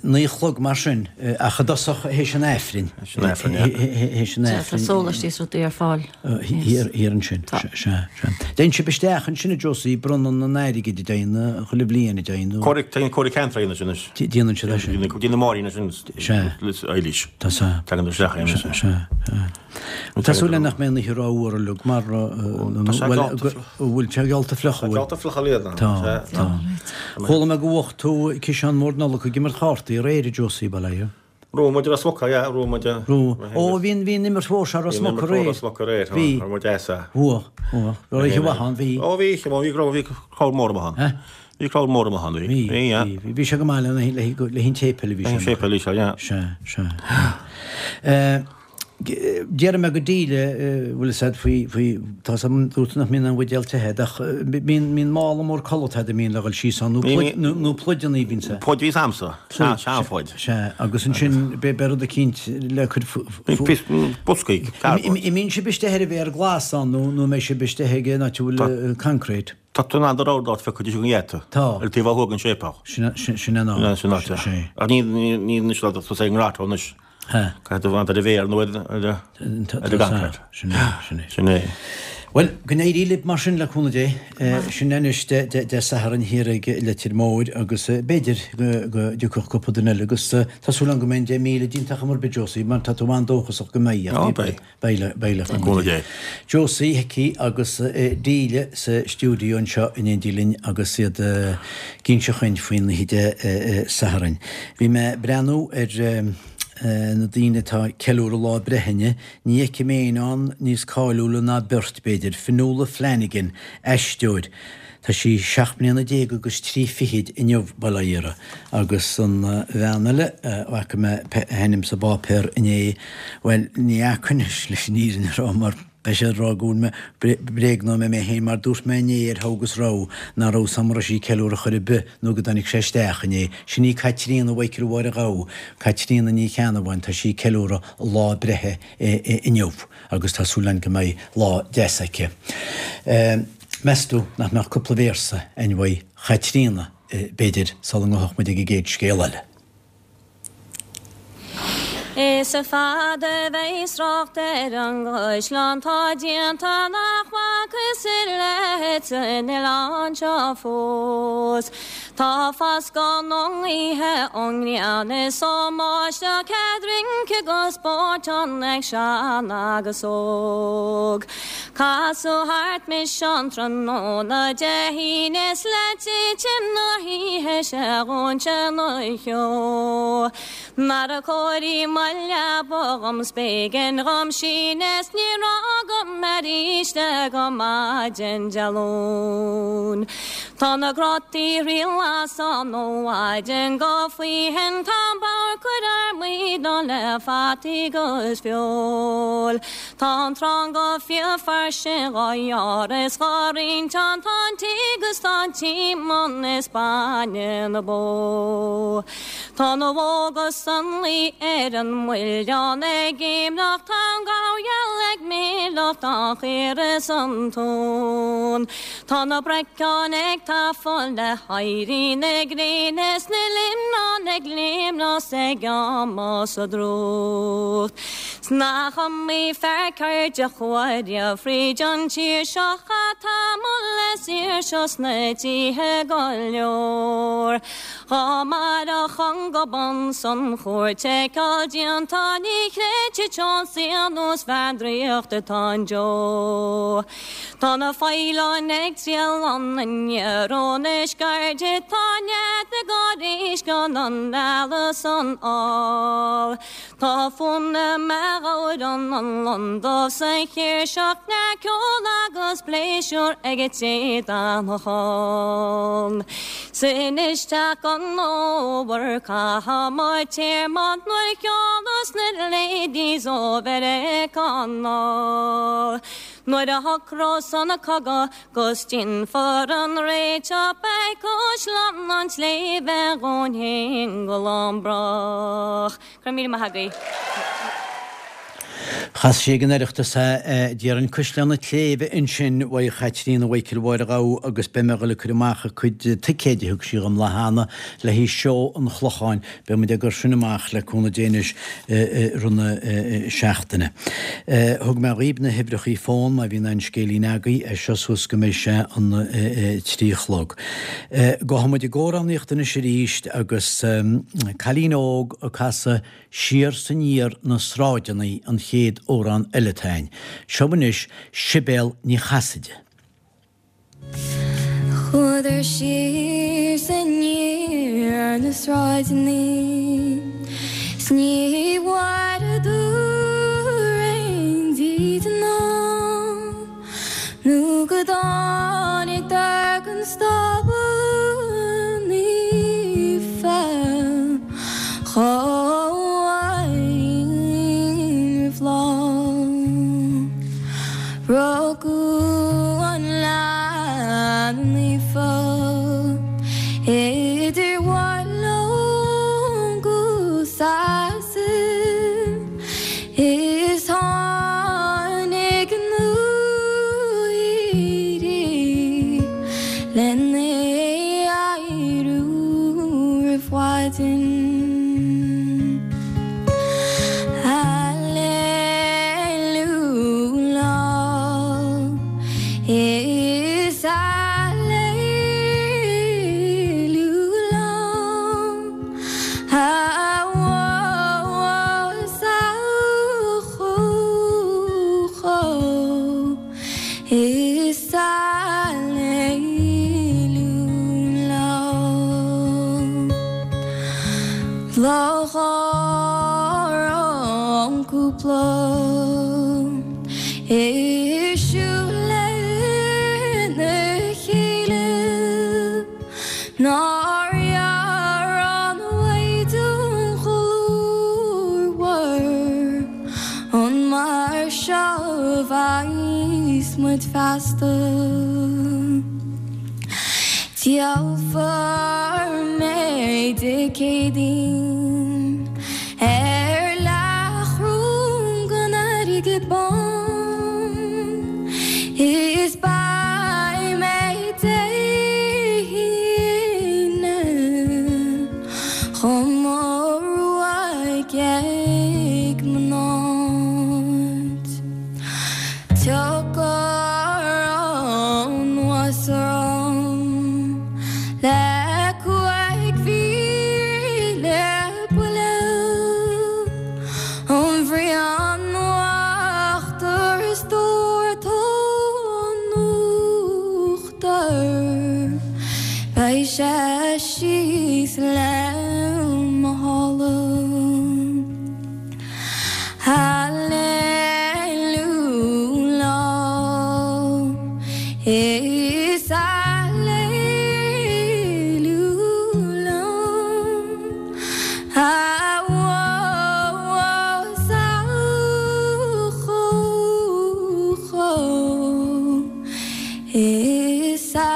Naoi chlog mar sin ach a dosach héis an Aifrinn. Héis an Aifrinn. Tá sólaistí is rudaí ar fáil. Thiar ansin. Déan sibh isteach ansin a Josie bronnadh na n-airgid a déanamh chuile bhliain a déanamh. Comhairle ceantair a dhéanamh sin. Déanann siad é sin. Déanann Máirín sin. Eilís. Tá sa. Tagann isteach é sin. Tá súil nach mbeidh na rá uair lug mar bhfuil sé geallta fliuch bhfuil. Geallta fliuch a líon. Tá, tá. Chuala mé go bhfuacht tú ciseán mór Nollag ag imirt chártaí réir a Josie Baile. Ró muid a smoca, yeah, ró muid a. Ró. Ó bhíonn bhíonn imirt mhór sé ra smoca réir. Bhíonn smoca réir, bhí. Ró muid esa. Bhua, bhua. Ró oíche mhaith ann, bhí. Ó bhí, bhí bhí crowd mór amach ann. Bhí crowd mór amach ann, bhí. Bhí, bhí. Bhí sé go maith le le hin séipéal a bhí sé. Séipéal bhí sé, yeah. Sé, sé. Déarfaidh mé go díle bhfuil said faoi faoi tá sam dúirt nach mbíonn an bhuidéal te ach bíonn bíonn mála mór codlata a mbíonn le dhul síos ann nó nó pluideanna bíonn sé. Pluid bhí samsa, seanphluid. Sé agus ansin be rud eicínt le cur boscaí. Imíonn sibh isteach ar a bheith ar glas ann nó nó mbeidh sibh isteach ag an áit a bhfuil concrete. Tá tú an rud áit feicthe go dhéata. Tá. Ar taobh a thóg an séipéal. Sin sin an áit. Sin áit. Ach ní ní ní slad tú sé ngrát anois. Caithfidh tú ar a bhéar nó ar ar an Sin é, sin é. Sin é. Well, go n-éirí libh mar sin le cúnamh Dé, sin anois de Satharn thiar ag Leitir Móir agus b'fhéidir go dtiocfadh cúpla duine eile agus tá súil agam go mbeidh deich míle díontach mar bith Josie mar tá tú an-dóchasach go mbeidh. Ó, beidh. Beidh le cúnamh Dé. Josie Hickey agus Díle sa stiúideo anseo in éindí linn agus iad ag inse chugainn faoin oíche Dé Sathairn. Bhí mé breathnú ar na daoine atá ceiliúradh lá breithe inniu, ní fheicim éinne ann níos cáiliúla ná beirt b'fhéidir, Fionnuala Flanagan, aisteoir. Tá sí seacht mbliana déag agus trí fichid inniu bail ó Dhia uirthi. Agus an bhean eile, bhfaca mé a hainm sa bpáipéar inné, bhuel, ní fhaca anois leis an fhírinne a rá mar beidh sé ag rá go bhfuil mé bréagnóidh mé mé féin mar dúirt mé inné ar Thogh agus Rogha nach raibh sam raibh sí ceiliúradh chor ar bith nó go dtáinig sé isteach inné. Sin í Caitríona Mhichael Mháire Ghabha, Caitríona Ní Cheannabháin, tá sí ceiliúradh lá breithe inniu agus tá súil againn go mbeidh lá deas aici. Meas tú nach mbeadh cúpla véarsa againn uaidh Chaitríona b'fhéidir sula ngabhfadh muid ag an gcéad scéal eile. Is a fada bheith srácht ar an gcuisleán tá déanta nach bhfacthas i leith san oileán seo fós. Tá fascán ón oíche ón ngrian is ó mbáisteach cead rince go spóirt an ag sean agus óg. Casadh thart mise an tráthnóna Dé hAoine is le titim na hoíche sé dhúinse na cheo. Mar a cóirí leaba dhom spéigin dhom sín is ní raibh agam arís le go maidin Dé Luain. Tá na grátaí riail san ó mhaidin go faoithin tá bár cuir ar maoin le fataí agus feoil. Tá an trán go fiafar sin dhá dhear is dhá roinnt an tá an tí agus tá an tíomán is bainne na bó. Tá na bhógas an luí ar an muileann ag imleach tá an gabhal ag míleach tá chaor is an tón. Tá na breacáin ag tafann le héirí na gréine is na limneán ag léimneas ag amas a drúcht. Sna chummaí fear cairde chuaire fríd an tír seo atá le saoir seo sna tithe go leor. Dhá mar a chun go bun san chúirt ag cail déanta ní chreidte teann saol bhean draíocht atá an deo. Tá na feidhleáin ag triail an aniar ón iscairde tá nead na gáiréis gan an ealas an ál. Tá fún na ghabhrann an lon dubh sa chéirseach le ceol agus pléisiúr ag an té d'fhanfadh ann. Sin isteach an fhómhar caithfidh muid téarma nuair a cheolas na ladies ó Mheiriceá anall. Nuair a shocrós an cogadh 'gus déanfar an réiteach beidh Caisleán an tSléibhe dhúinn fhéin go lánbrách. Go raibh míle maith agaibh. Chas sí ag an Oireachtas é, déarfainn Caisleán an tSléibhe ansin uaidh Chaitríona Mhichael Mháire Ghabha agus beidh mé ag dul ag cur amach a cuid ticéid a thug sí dhom lá cheana le haghaidh seó an Chlocháin. Beidh muid ag cur sin amach le cúnamh Dé anois i rith na seachtaine. Thug mé dhaoibh na huimhreachaí fón má bhíonn aon scéilín agaibh, as seo suas go mbeidh sé an trí a chlog. Gabhfaidh muid ag amhránaíocht anois arís agus cailín óg ag casadh Siar 's aniar na sráideanna an chéad amhrán eile atá a'inn. Seo anois Sibéal Ní Chasaide. Chuadar siar 's aniar na sráideanna 's ní bhfuaireadar aon dídean ann nó go dtáinigdar gon stábla naofa chomh éirí roimh lá. Rugadh an leanbh naofa idir Mhaigh Ló 'gus Sasain is tháinig na haoirí lena adhradh roimh mhaidin. Hallelujah is Hallelujah Is Hallelujah Labhair an cúpla ag siúl lena chéile nár ghearr an Mhaighdean ghlórmhar an mar seo a bheas muid feasta. Díolfar mé Dé Céadaoin ar leathchoróin den airgead bán is beidh mé Dé hAoine chun mo ruaig ag mo náid. Tiocfar anuas orm le cúig mhíle buille ón bhruíon uachtair is dórtadh an uachtar beidh sé síos le mo shála. Hallelujah is Hallelujah Is Hallelujah.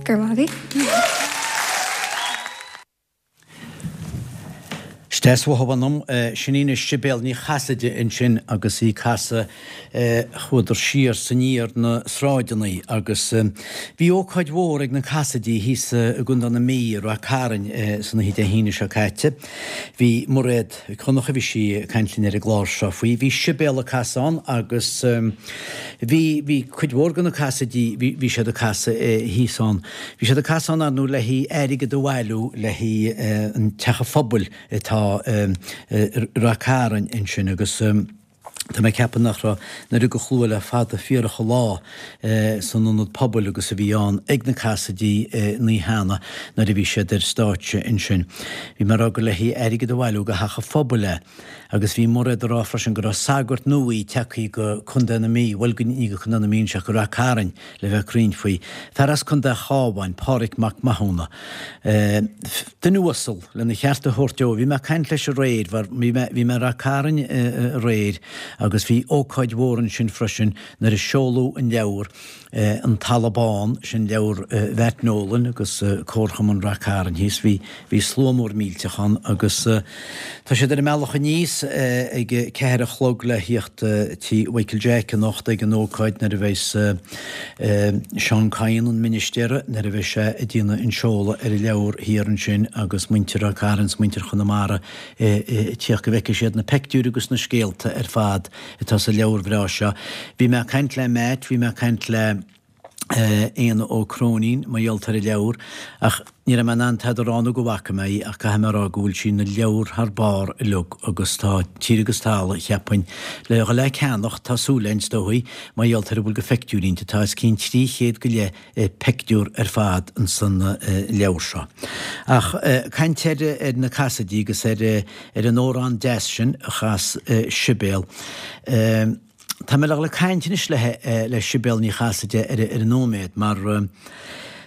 Go raibh maith agaibh. Is deas uathu anam, sin í anois Sibéal Ní Chasaide ansin agus í ag casadh Chuadar siar 's aniar na sráideanna agus bhí ócáid mhór ag na Cassidy thíos i gContae na Mí i Rath Cairn san oíche Dé hAoine seo caite. Bhí Mairéad Mhic Dhonncha, bhí sí ag caint linn ar an gclár seo faoi. Bhí Sibéal ag casadh ann agus bhí bhí cuid mhór de na Cassidy, bhí bhí siad ag casadh thíos ann. Bhí siad ag casadh ann ar ndóigh le haghaidh airgead a bhailiú le haghaidh an Teach an Phobail atá i Rath Cairn ansin agus Tá mé ag ceapadh nach raibh an oiread de shlua le fada fíorach an lá san ionad pobail agus a bhí ann ag na Casaidigh an oíche cheana nuair a bhí siad ar stáitse ansin. Bhí mé ag rá gur le haghaidh airgead a bhailiú do theach an phobail é agus bhí Mairéad ag rá freisin go raibh sagart nua tagtha go Contae na Mí, bhuel ní go Contae na Mí anseo, go Rath Cairn le bheith ag caint faoi. Fear as Contae an Chabháin, Páraic Mac Mathúna. Duine uasal, lena cheart a thabhairt dó. Bhí mé ag caint leis aréir, bhí mé bhí mé i Rath Cairn aréir agus bhí ócáid mhór ansin freisin nuair a seoladh an leabhar An Talamh Bán, sin leabhar Mhatt Nolan agus Comharchumann Rath Cairn thíos. Bhí bhí slua mór millteach ann agus tá siad ar a mbealach aníos ag a ceathair a chlog le thíocht tí Mhichael Jack anocht ag an ócáid nuair a bheas Seán Kyne, an ministéara, nuair a bheidh sé ag déanamh an seoladh ar an leabhar thiar ansin agus muintir Ráth Cairn 's muintir Chonamara ag tíocht go bhfeicfidh siad na peictiúir agus na scéalta ar fad atá sa leabhar bhreá seo. Bhí mé ag caint le Matt, bhí mé ag caint le Éanna Ó Cróinín mar gheall ar an leabhar ach ní raibh mé in ann tada a rá nó go bhfaca mé í ach caithfidh mé a rá go bhfuil sí ina leabhar thar barr uilig agus tá tír agus talamh, cheapfainn, le dhul le ceannach, tá súil againn, is dóigh, mar gheall ar a bhfuil de phictiúirí inti, tá os cionn trí chéad go leith pictiúr ar fad insan leabhar seo. Ach caint ar ar na Casaidigh agus ar ar an amhrán deas sin a chas Sibéal. Tá mé le dhul ag caint anois le le Sibéal Ní Chasaide ar ar an nóiméad mar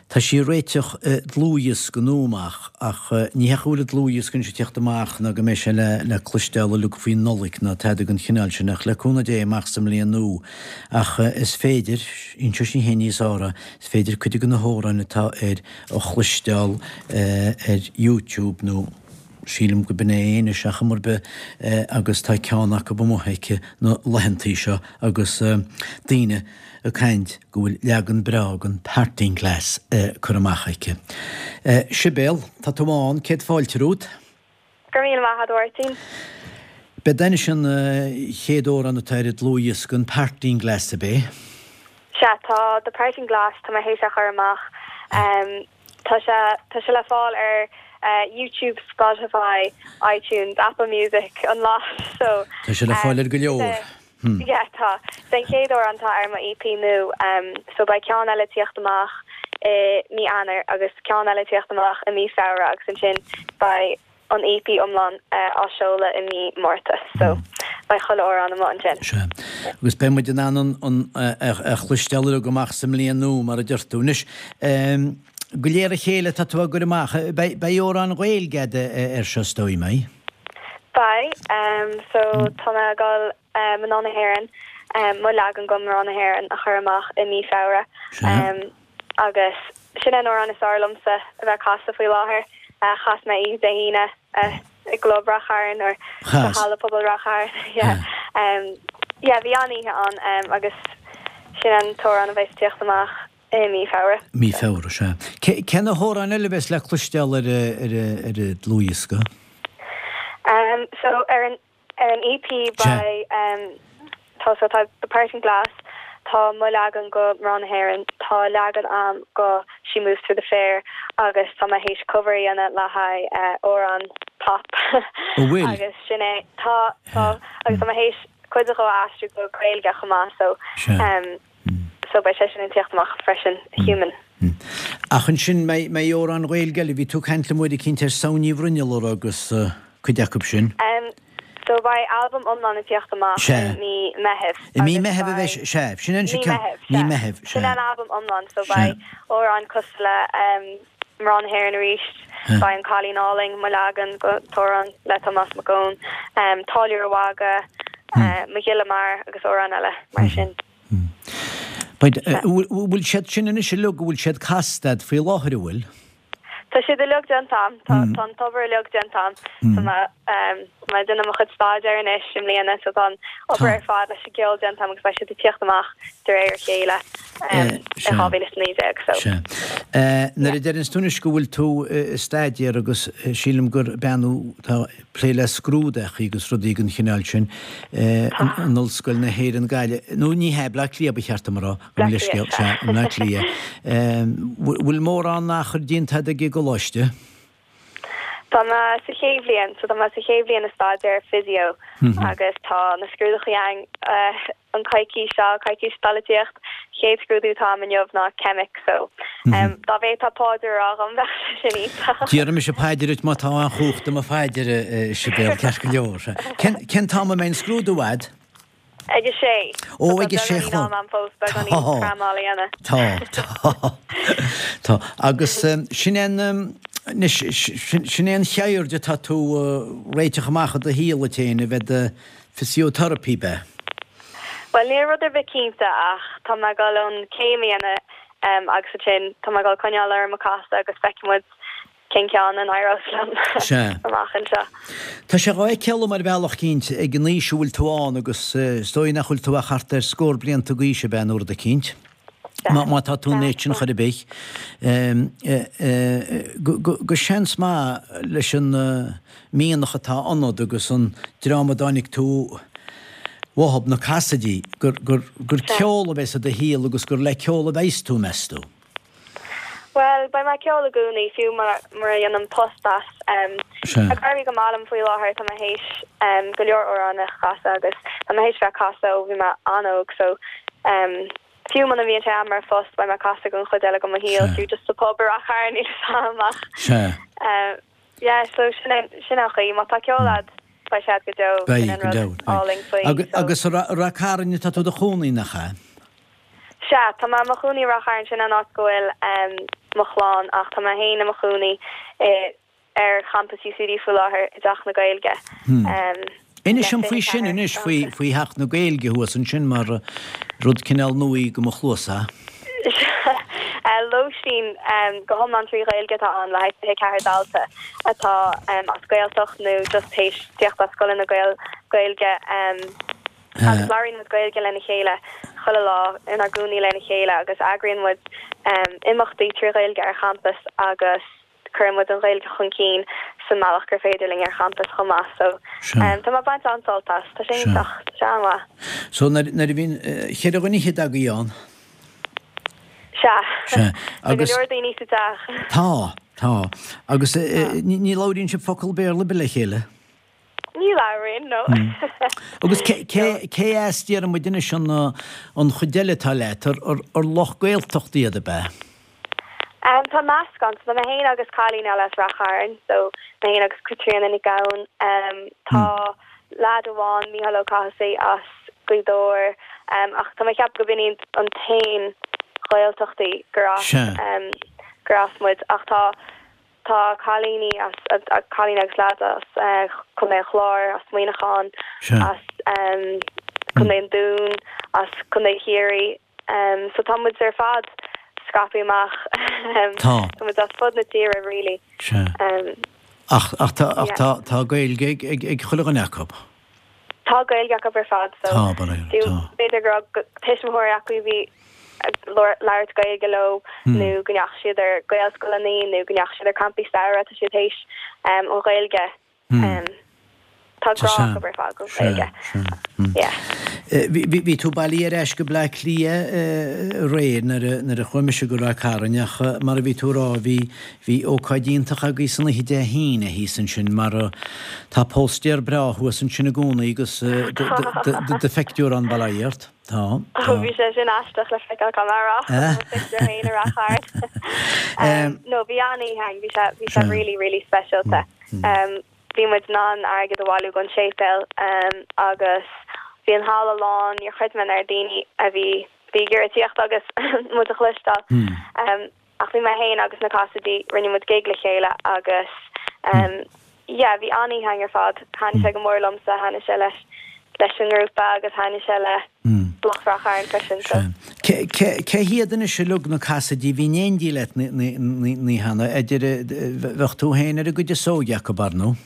tá sí ag réiteach dlúthdhiosca nua amach ach ní hé go bhfuil an dlúthdhiosca anois ag teacht amach ná go mbeidh sé le le cloisteáil uilig faoin Nollaig ná tada den chineál sin ach le cúnamh Dé amach sa mbliain nua ach is féidir, inseoidh sí féin níos fearr é, is féidir cuid de na hamhráin atá air a chloisteáil ar YouTube nó sílim go b'in é anois ar chuma ar bith agus tá ceann acu amuigh aici na laethantaí seo agus daoine ag caint go bhfuil leagan breá den Parting Glass curtha amach aici. Sibéal, tá tú ann, céad fáilte romhat. Go raibh míle maith agat, a Mháirtín. B'é anois an chéad amhrán atá ar an dlúthdhiosca, an Parting Glass ab é? Sea, tá The Parting Glass, tá mé théis é a chur amach. Tá sé, tá sé le fáil ar YouTube, Spotify, iTunes, Apple Music, an lot, so. Tá sé le fáil ar go leor. Yeah, tá. Is é an chéad amhrán atá ar mo EP nua, so beidh ceann eile ag tíocht amach i mí Eanáir agus ceann eile ag tíocht amach i mí Feabhra agus ansin beidh an EP iomlán á seoladh i mí Márta so beidh chuile amhrán amuigh ansin. Sea. Agus beidh muid in ann an a chloisteáil uilig amach sa mbliain nua mar a deir tú. Anois, go léir a chéile tá tú á gcur amach. Beidh amhráin Ghaeilge agat air seo is dóigh, mbeidh? Beidh. So tá mé ag dul Mná na hÉireann, mo leagan de Mná na hÉireann a chur amach i mí Feabhra. Sea. Agus sin é an amhrán is fearr liomsa a bheith ag casadh faoi láthair. Chas mé oíche Dé hAoine i gClub Rath Chairn or sa Halla Pobail Rath Chairn. Yeah. Yeah, bhí an-oíche ann agus sin an t-amhrán a bheas ag tíocht amach i mí Feabhra. Mí Feabhra, sea. Cé na hamhráin eile a bheas le cloisteáil ar ar an dlúthdhiosca? So ar an Ar an EP beidh tá so tá The Parting Glass, tá mo leagan go Mná na hÉireann, tá leagan a'm go She Moves Through the Fair agus tá mé théis cover a dhéanamh le haghaidh amhrán pop agus sin é tá tá agus tá mé théis cuid de a aistriú go Gaeilge chomh maith so so beidh sé sin ag tíocht amach freisin Human. Ach ansin mbeidh amhráin Ghaeilge eile, bhí tú ag caint liom uair eicínt ar Samhain Ní Bhruinnealla agus. cuid acu sin. So beidh albam iomlán ag tíocht amach i mí Meithimh. I mí Meithimh a bheidh sé, sea. Sin an Mí Meithimh, sea. Mí Meithimh, sea. Sin an albam iomlán, so beidh amhráin cosúil le Mná na hÉireann arís, beidh An Cailín Álainn, mo leagan den t-amhrán le Tomás Mac Eoin, Táilliúir a' Mhagaidh, Mo Ghile Mear agus amhráin eile mar sin. Bhfuil siad sin anois uilig, bhfuil siad casta a'd faoi láthair, an bhfuil? Tá siad uilig déanta a'm. Tá tá an t-obair uilig déanta a'm. Tá mé tá mé ag déanamh mo chuid staidéir anois i mbliana so tá an obair ar fad leis an gceol déanta a'm agus beidh siad ag tíocht amach de réir a chéile i dhá mhíle is a naoi déag so. Sea. Nuair a deireanns tú anois go bhfuil tú ag staidéar agus sílim gur bean thú atá ag plé le scrúdachaí agus rudaí den chineál sin in Ollscoil na hÉireann Gaillimh, nó ní hea, Bleá Cliath ba cheart dom a rá, gabh mo leithscéal, sea, i mBleá Cliath. Bhfuil mórán achair déanta a'd ag an gcoláiste? Tá mé sa chéad bhliain, so tá mé sa chéad bhliain ag staidéar physio agus tá na scrúduithe ann an coicís seo, coicís atá le tíocht, chéad scrúdú atá agam inniu ná ceimic so dá bhféadfá paidir a rá dhom bheadh sé sin iontach. Déarfaidh mise paidir duit má tá aon chumhacht i mo phaidir, a Sibéal, ceart go leor. Cén t-am a mbeidh an scrúdú a'd? Ag a sé. Ó, ag a sé a chlog. Tá, tá, tá. Agus sin é an, anois, sin é an cheird atá tú a réiteach amach i do shaol duit féin, a bheith i do physiotherapy, ab ea? Bhuel, níl rud ar bith cinnte ach tá mé ag dul an chéim a dhéanamh agus ansin tá mé ag dul coinneáil orm ag casadh agus feicfidh muid cén ceann a n-éireos liom amach anseo. Tá sé dhá fheiceáil ar bhealach eicínt ag an aois a bhfuil tú ann agus is dóigh nach bhfuil tú ach thart ar scór blianta d'aois ab ea nó rud eicínt, má tá tú an méid sin chor ar bith, go seans maith leis an mianach atá ionat agus an dream a dtáinig tú uathub, na Cassidys, gur ceol a bheas i do shaol agus gur le ceol a bheas tú, meas tú? Bhuel, beidh mé ag ceol i gcónaí, fiú mura ndéanaim post as. Ag éirí go maith liom faoi láthair, tá mé théis go leor amhrán a chasadh agus tá mé théis bheith ag casadh ó bhí mé an-óg so fiú muna mbíonn sé a'm mar phost, beidh mé ag casadh don chuid eile de mo shaol, fiú just sa pub i Ráth Chairn, níl 'fhios a'm ach yeah, so sin é sin an chaoi, má tá ceol a'd, beidh sé a'd go deo, sin an rud álainn faoi. Agus i Ráth Cairn atá tú i do chónaí, nach ea? Sea, tá mé i mo chónaí i Ráth Chairn, sin an áit go bhfuil mo chlann, ach tá mé féin i mo chónaí ar champas UCD faoi láthair, i dTeach na Gaeilge. Inis dom faoi sin anois, faoi Theach na Gaeilge thuas ansin, mar rud cineál nua do mo chluasa. Lóistín go hiomlán trí Ghaeilge atá ann le haghaidh fiche ceathair dalta atá as Gaeltacht nó just théis tíocht as scoileanna Gaeilge. Agus labhraíonn muid Gaeilge lena chéile chuile lá, inár gcónaí lena chéile agus eagraíonn muid imeachtaí trí Ghaeilge ar champas agus cuireann muid an Ghaeilge chun cinn sa mbealach gur féidir linn ar champas chomh maith. So tá mé ag baint an-sult as. Tá sé iontach. Tá sé an-mhaith. So nuair a bhíonn cheithre dhuine fhichead agaibh ann? Sea. Sea. Tá go leor daoine sa teach. Tá, tá. Agus ní labhraíonn sibh focal Béarla ar bith le chéile? Ní labhraíonn, no. Agus cé as déarfaidh muid anois an chuid eile atá leat, ar lucht Gaeltachta iad, ab ea? Tá meascán, so tá mé féin agus cailín eile as Rath Chairn, so mé féin agus Caitríona Nic Gabhann. Tá leaid amháin, Mícheál Ó Cathasaigh, as Gaoth Dobhair, ach tá mé ag ceapadh go b'in iad an t-aon Ghaeltachtaí gur as gur as muid, ach tá Tá cailíní as, cailín agus leaid as Contae an Chláir, as Muineachán, as Contae an Dúin, as Contae Chiarraí. So tá muid ar fad scaipthe amach. Tá. Tá muid as fud na tíre really. Sea. Ach, ach tá, ach tá, tá Gaeilge ag, ag, ag chuile dhuine acu. Tá Gaeilge acu ar fad so Tá, tá. b'fhéidir go raibh tuismitheoirí acu a bhí ag labhairt Gaeilge leo nó go ndeachaigh siad ar Gaelscoileanna nó go ndeachaigh siad ar campaí samhraidh, tá siad théis an Ghaeilge. Tá grá acu ar fad don Ghaeilge. Yeah. Bhí tú bailithe ar ais go Bleá Cliath aréir nuair a chuaigh mise go Ráth Cairn ach mar a bhí tú a rá bhí bhí ócáid iontach agaibh san oíche Dé hAoine thíos ansin mar tá póstaer breá thuas ansin i gcónaí agus do phictiúr ann bail ó Dhia ort. Tá, tá. Bhí sé sin aisteach le feiceáil caithfidh mé a rá. Mo phictiúr féin i Rath Chairn. No, bhí an-oíche againn, bhí sé, bhí sé really, really speisialta. Bhí muid in ann airgead a bhailiú don séipéal agus bhí an halla lán, níor chreid mé an oiread daoine a bhí, bhí ag iarraidh tíocht agus muid a chloisteáil. Ach bhí mé féin agus na Cassidys, rinne muid gig le chéile agus yeah, bhí an-oíche againn ar fad. Thaitnigh sé go mór liomsa, thaitnigh sé leis leis an ngrúpa agus thaitnigh sé le lucht Rath Chairn freisin so. Cé hiad anois uilig na Cassidys a bhí in éindí leat an oíche cheana, idir, bheadh tú féin ar an gcuid is óige acu, ar ndóigh?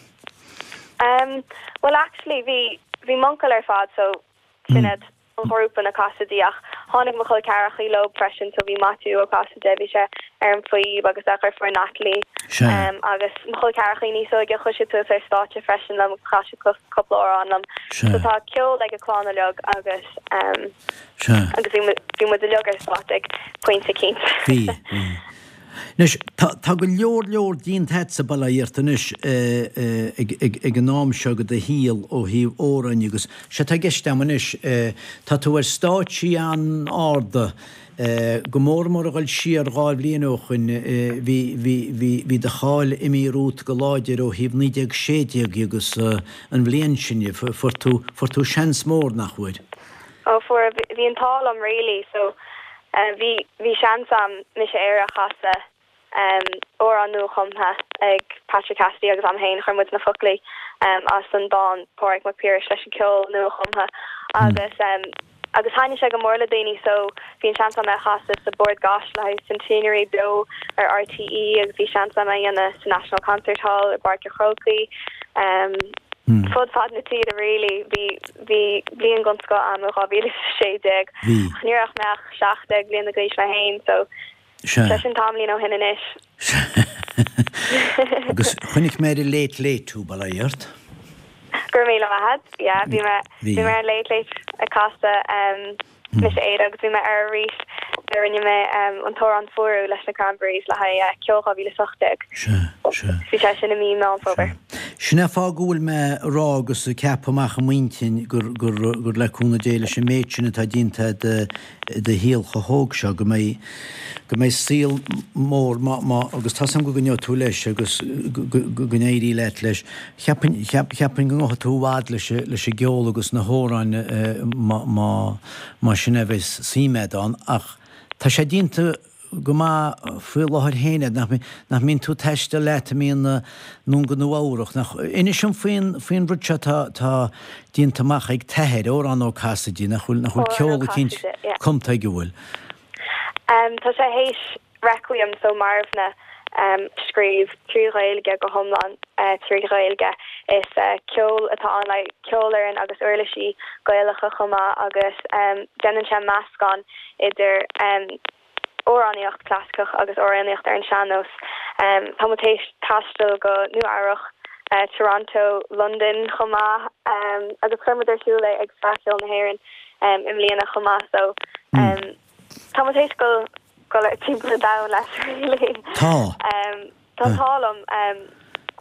Bhuel actually bhí bhí m'uncail ar fad so sin iad an ghrúpa na Cassidys ach tháinig mo chol ceathrachaí leo freisin so bhí Maitiú Ó Casaide, bhí sé ar an phíb agus a dheirfiúr Natalie agus mo chol ceathrachaí níos óige chuaigh siad suas ar stáitse freisin liom agus chas siad cúpla amhrán liom. So tá ceol ag an clann uilig agus agus bhí bhí muid uilig ar stáitse ag pointe eicínt. Bhí, bhí. Anois, tá, tá go leor leor déanta agatsa bail ó Dhia ort anois ag, ag, ag an am seo de do shaol ó thaobh amhráin agus sé atá i gceist agam anois, tá tú ar stáitsí an-arda, go mór mór a dhul siar dhá bhliain ó shoin, bhí, bhí, bhí, bhí do cháil imithe romhat go láidir ó thaobh naoi déag sé déag agus an bhliain sin, fuair tú, fuair tú seans mór, nach bhfuair? Ó fuair, bhí an t-ádh liom really so bhí bhí seans a'm Mise Éire a chasadh, amhrán nua-chumtha ag Patrick Cassidy agus a'm féin, chuir muid na foclaí as an dán Pádraig Mac Piarais leis an ceol nua-chumtha agus agus thaitnigh sé go mór le daoine so bhí an seans a'm é a chasadh sa Bord Gáis le haghaidh Centenary beo ar RTÉ agus bhí seans a'm é a dhéanamh sa National Concert Hall i bPáirc an Chrócaigh. Fud fad na tíre really. Bhí bhí bliain den scoth a'm i dhá mhíle is a sé déag. Bhí. Ach ní raibh mé ach seacht déag bliana d'aois mé féin so Sea. sé sin tamaillín ó shin anois. Sea. Agus chonaic mé ar an Late Late thú, bail ó Dhia ort. Go raibh míle maith agat. Yeah, bhí mé Bhí. bhí mé ar an Late Late ag casadh em Mise Éire agus bhí mé air arís nuair a rinne mé an t-amhrán Fuarú leis na Cranberries le haghaidh Ceol dhá mhíle is a hocht déag. Sea, sea. Bhí sé sin i mí Meán Fómhair. Sin é fáth go bhfuil mé ag rá agus ag ceapadh amach i m'intinn gur, gur, gur le cúnamh Dé leis an méid sin atá déanta agat i do shaol chomh hóg seo go mbeidh, go mbeidh saol mór má, má, agus tá 's agam go gcoinneoidh tú leis agus go, go, go n-éirí leat leis. Cheapfainn, cheap, cheapfainn go ngabhfaidh tú i bhfad leis, leis an gceol agus na hamhráin má, má, má sin é a bheas suim agat ann ach tá sé déanta go maith faoi láthair féin agat, nach, nach mbíonn tú ag taisteal leat i mbíonn anonn go Nua Eabhrach, nach, inis dom faoin, faoin rud seo atá, tá déanta amach ag t'athair, Odhrán Ó Casaide, nach bhfuil, nach bhfuil Odhrán Ó ceol eicínt Casaide, yeah. cumtha aige, bhfuil? Um, tá sé théis Requiem so marbhna um, scríobh trí Ghaeilge go hiomlán uh, trí Ghaeilge. Is uh, ceol atá ann le ceolfhoireann agus uirlisí Gaelacha chomh maith agus um, déanann sé meascán idir um, amhránaíocht clasaiceach agus amhránaíocht ar an sean-nós. Um, tá muid théis taisteal go Nua Eabhrac, uh, Toronto, London chomh maith um, agus chuir muid ar siúl é ag Fleadh Cheoil na hÉireann um, i mbliana chomh maith so um, tá muid théis go go le timpeall an domhain leis really. Tá. Um, tá an t-ádh liom um,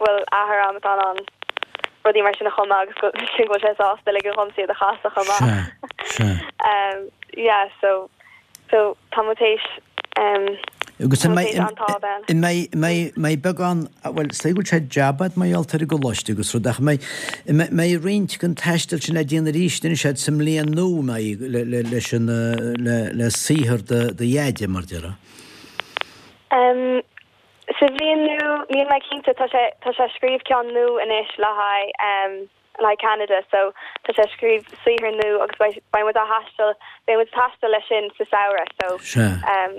go bhfuil athair a'm atá in ann rudaí mar sin a chumadh agus go sin go bhfuil sé sásta ligean dhomsa iad a chasadh chomh maith. Sea, sea. Um, yeah, so so tá muid théis um, Agus tá an muid mbeidh théis an t-ádh bheith. an mbeidh mbeidh mbeidh beagán bhuel is dóigh go bhfuil sé jab agat mar gheall ar an gcoláiste agus rud ach mbeidh mbeidh roinnt den taisteal sin le déanamh arís anois agat sa mbliain nua mbeidh le le leis an le le saothar do do dheaide mar déarfá. Um, sa bhliain nua níl mé cinnte tá sé tá sé scríobh ceann nua anois le haghaidh um, le haghaidh Canada so tá sé scríobh saothar nua agus beidh beidh muid á thaisteal beidh muid ag taisteal leis sin sa samhradh so Sea. um,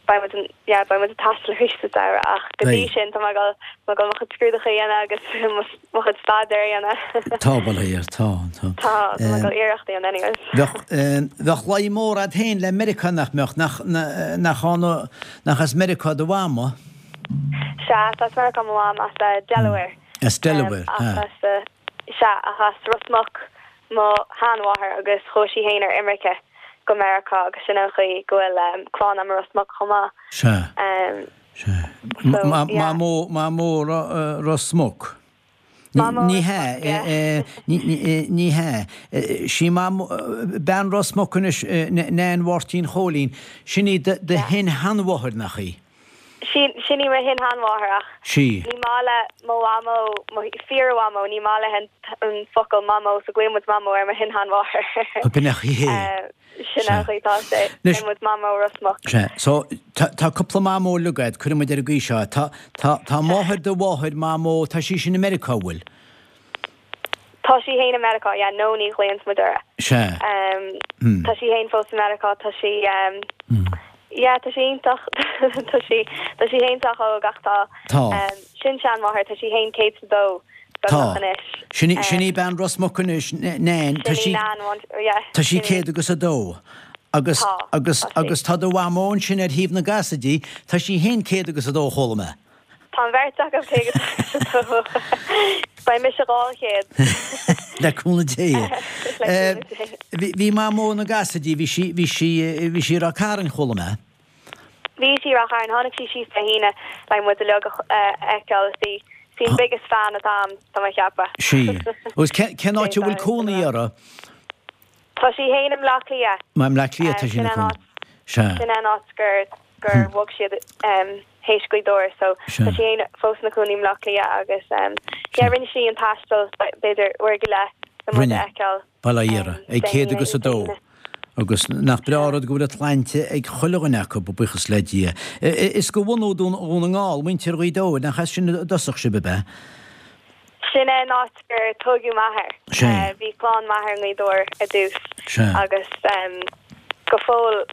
beidh muid an- yeah, beidh muid ag taisteal arís sa samhradh ach go dtí Beidh. sin tá mé ag dul mé ag dul mo chuid scrúduithe a dhéanamh agus mo mo chuid staidéir a dhéanamh. Tá bail ó Dhia ort, tá tá. Tá tá mé ag dul iarracht a dhéanamh anyways. Bheadh bheadh luí mór agat féin le Meiriceá nach mbeadh nach nach ann nach as Meiriceá do mhamó? Sea, tá as Meiriceá mo mham as uh, Delaware. As Delaware, Um, ach ah. as uh, sea ach as Ros Muc mo sheanmháthair agus chuaigh sí féin ar imirce go Meiriceá agus sin an chaoi go bhfuil um, clann a'm i Ros Muc chomh maith. Sea. Um, Sea. So, Ma yeah. Mamó Mamó uh, Ros Muc. Ní Mamó ní Ros hea Muc, yeah. ní ní ní hea sí mam bean Ros Muc anois Nain Mháirtín Chóilín sin í do do Yeah. shin-sheanmháthair nach í. Sin sin í mo shin-sheanmháthair ach Sí. ní maith le mo mhamó mo fíor-mhamó ní maith léi an an focal mamó so glaonn muid mamó ar mo shin-sheanmháthair. B'in í hé. Uh, sin an chaoi tá sé Anois- muid mamó Ros Muc. Sea, so tá tá cúpla mamó agat cuirfidh muid ar an gcaoi seo tá tá tá máthair do mháthair mamó tá sí sin i Meiriceá bhfuil. Tá sí féin i Meiriceá, yeah, Nonie a ghlaonn muid uirthi. Sea. Um, Hmm. Tá sí féin fós i Meiriceá, tá sí um, yeah, tá sí iontach tá sí tá sí féin sách óg ach tá Tá. um, sin seanmháthair tá sí féin céad is a dó Tá. anois. Sin í- sin í Um, bean Ros Muc anois Nain tá Sin í sí Nan one- yeah, Tá sí sin í- céad agus a dó. Agus Tá, agus tá sí. agus tá do mhamó sin ar thaobh na gCasaidí, tá sí féin céad agus a dó chuala mé. Tá an bheirt acu céad is a dó. Beidh mise dhá chéad. Le cúnamh Dé. Le Eh, cúnamh Dé. Bhí bhí mamó na gCasaidí bhí sí bhí sí bhí sí ra Cairn chuala mé. Bhí sí i Ráth Chairn, tháinig sí síos Dé hAoine le muid uilig a fheiceáil is í sí an biggest fan atá a'm tá mé ag ceapadh. Sí. Agus cén áit a bhfuil cónaí uirthi? Tá sí féin i mBleá Cliath. Ma i mBleá Cliath tá sí Sin ina an cónaí. áit Sea. sin an áit gur gur bhog siad théis Gaoth Dobhair so tá sí féin fós ina cónaí i mBleá Cliath agus yeah rinne sí an taisteal b'fhéidir uair go leith le muid Rinne. a fheiceáil. Bail ó Dhia uirthi. Ag Dé céad hAoine agus a Dé dó. hAoine. Agus nach breá an rud go bhfuil an tsláinte ag chuile dhuine acu, buíochas le Dia. Is de bhunadh Dhún na nGall, muintir Ghaoth Dobhair, nach as sin i dtosach sibh, ab ea? Sin é an áit gur tógadh m'athair. Sea. Bhí clann m'athar i nGaoth Dobhair ar dtús Sea. agus go fóill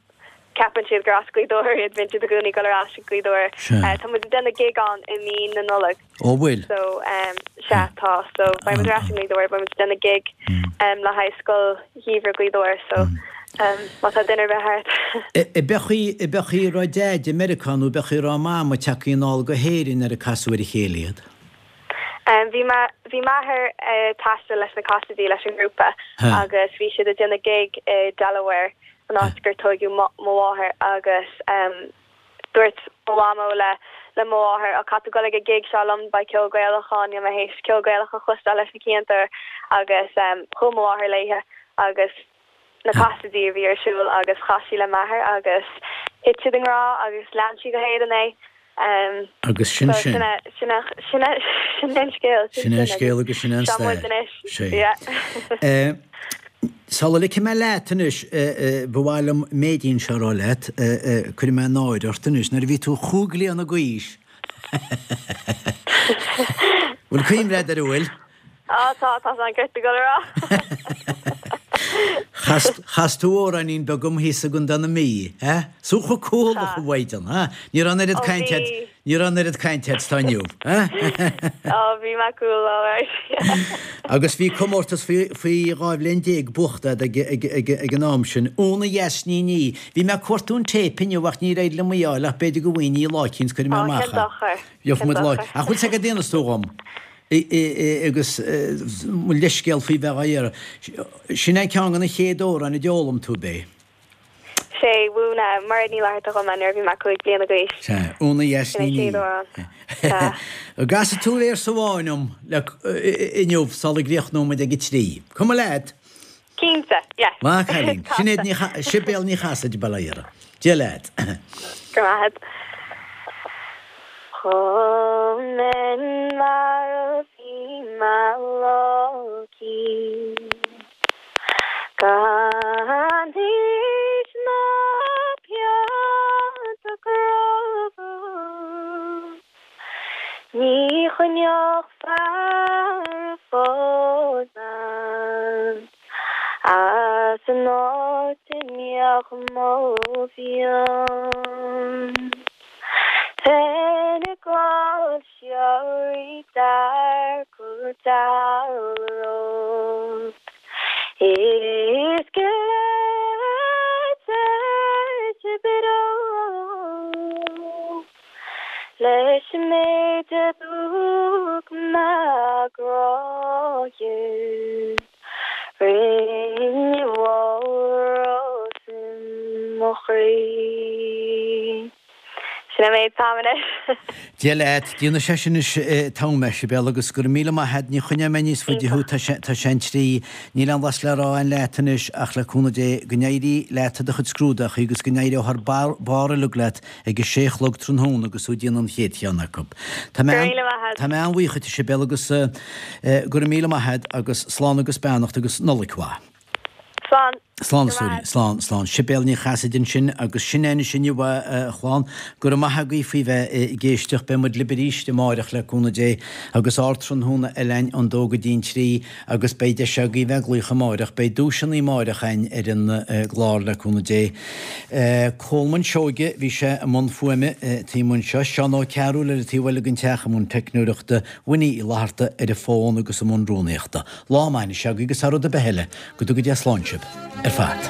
ceapann siad gur as Gaoth Dobhair iad, bíonn siad i gcónaí ag dul ar ais go Gaoth Dobhair. Sea. Tá muid ag déanamh gig ann i mí na Nollag. Ó bhfuil? So sea tá, so beidh muid ar ais i nGaoth Dobhair, beidh muid ag déanamh gig le haghaidh Scoil Gheimhridh Ghaoth Dobhair so má tá duine ar bith thart. Ab é ab é an chaoi a raibh Deaid i Meiriceá nó ab é an chaoi a raibh Mama tagtha anall go hÉirinn nuair a casadh ar a chéile iad? Bhí bhí m'athair ag taisteal leis na Cassadys leis an ngrúpa agus bhí siad ag déanamh gig i Delaware an áit gur tógadh mo mháthair agus dúirt mo mhamó le le mo mháthair ó caithfidh tú dul ag an gig seo liom beidh ceol Gaelach ann níl mé théis ceol Gaelach a chloisteáil leis na cianta agus chuaigh mo mháthair léithe agus na Cassadys a bhí ar siúl agus chas sí le m'athair agus thit siad i ngrá agus lean sí go hÉirinn é. Um, Agus sin sin. Sin sin sin an scéal Sin an scéal agus sin an stair. Sé. Eh, Sula ligfidh mé leat anois ba mhaith liom an méidín seo a rá leat, cuirfidh mé náire ort anois nuair a bhí tú chúig bliana d'aois. Bhfuil cuimhne agat air bhfuil? Á tá tá an ceart go rá. Chas tú amhráinín beag dom thíos i gContae na Mí, eh? Sú chu cúlach a bhaidan, ha? Ní raibh an oiread cainte ní raibh an oiread cainte agat is atá inniu, eh? Á bhí mé cool alright. Agus bhí comórtas faoi dhá bhliain déag buachta ag ag an am sin. Úna dheas ní ní. Bhí mé ag cuartú an téip inniu ach níor éirigh liom í a fháil ach b'fhéidir go bhfaighinn í lá eicínt cuirfidh mé amach. Gheobhaidh muid lá. Ach bhfuil sé go déanamh tú dhom? Agus mo leithscéal faoi bheith á iarraidh. Sin é ceann de na chéad amhráin a d'fhoghlaim tú bé. Sé mhúin Mairéad Ní Fhlatharta dhom é nuair a bhí mé cúig bliana d'aois. Sé Úna dheas ní ní. An gcasfaidh tú véarsa amháin dom le inniu sula gcríochnóidh muid ag a trí. Cuma leat? Cinnte, yes. Maith an cailín. Sinéad Ní Sibéal Ní Chasaide bail ó Dhia uirthi. Dia leat. Go raibh maith agat. Chomh minn mar a bhí mé locaí Gan aois ná pianta grá Ní choinneodh fear a phós bean As an áit a mbíodh mo mhionn. Fine Gall siar dearcadh dealród Is gile te bró Leis an méid a thug mé grá dhuit Rinne walrus i mo chroí. Sin an méid atá agam anois. Dia leat, déanfaidh sé sin anois t-am, a Shibéal, agus go raibh míle maith agat, ní choinneoidh mé níos faide thú, tá sé tá sé an trí, níl aon bhlas le rá againn leat anois ach le cúnamh Dé go n-éirí leat i do chuid scrúdachaí agus go n-éireodh thar barr barr uilig leat ag a sé a chlog tráthnóna agus tú ag déanamh an chéad cheann acu. Tá mé Go raibh míle maith agat. Tá mé an-bhuíoch duit a Shibéal agus go raibh míle maith agat agus slán agus beannacht agus Nollaig mhaith. Slán. Slán a stóirín, slán, slán. Sibéal Ní Chasaide ansin agus sin é anois inniu a chlann. Go raibh maith agaibh faoi bheith ag éisteacht. Beidh muid libh arís amáireach le cúnamh Dé agus ardtráthnóna eile againn ón dó go dtí an trí agus beidh deis agaibh bheith ag glaoch amáireach. Beidh duaiseanna amáireach againn ar an gclár le cúnamh Dé. Colman Seoige, bhí sé i mbun fuaime taobh amuigh anseo. Seán Ó Cearúil ar an taobh eile den teach i mbun teicneoireachta, Winnie Uí Fhlatharta ar an bhfón agus i mbun rúnaíochta. Lá maith anois agaibh agus thar rud ar bith eile, go dtuga Dia slán sibh ar fad.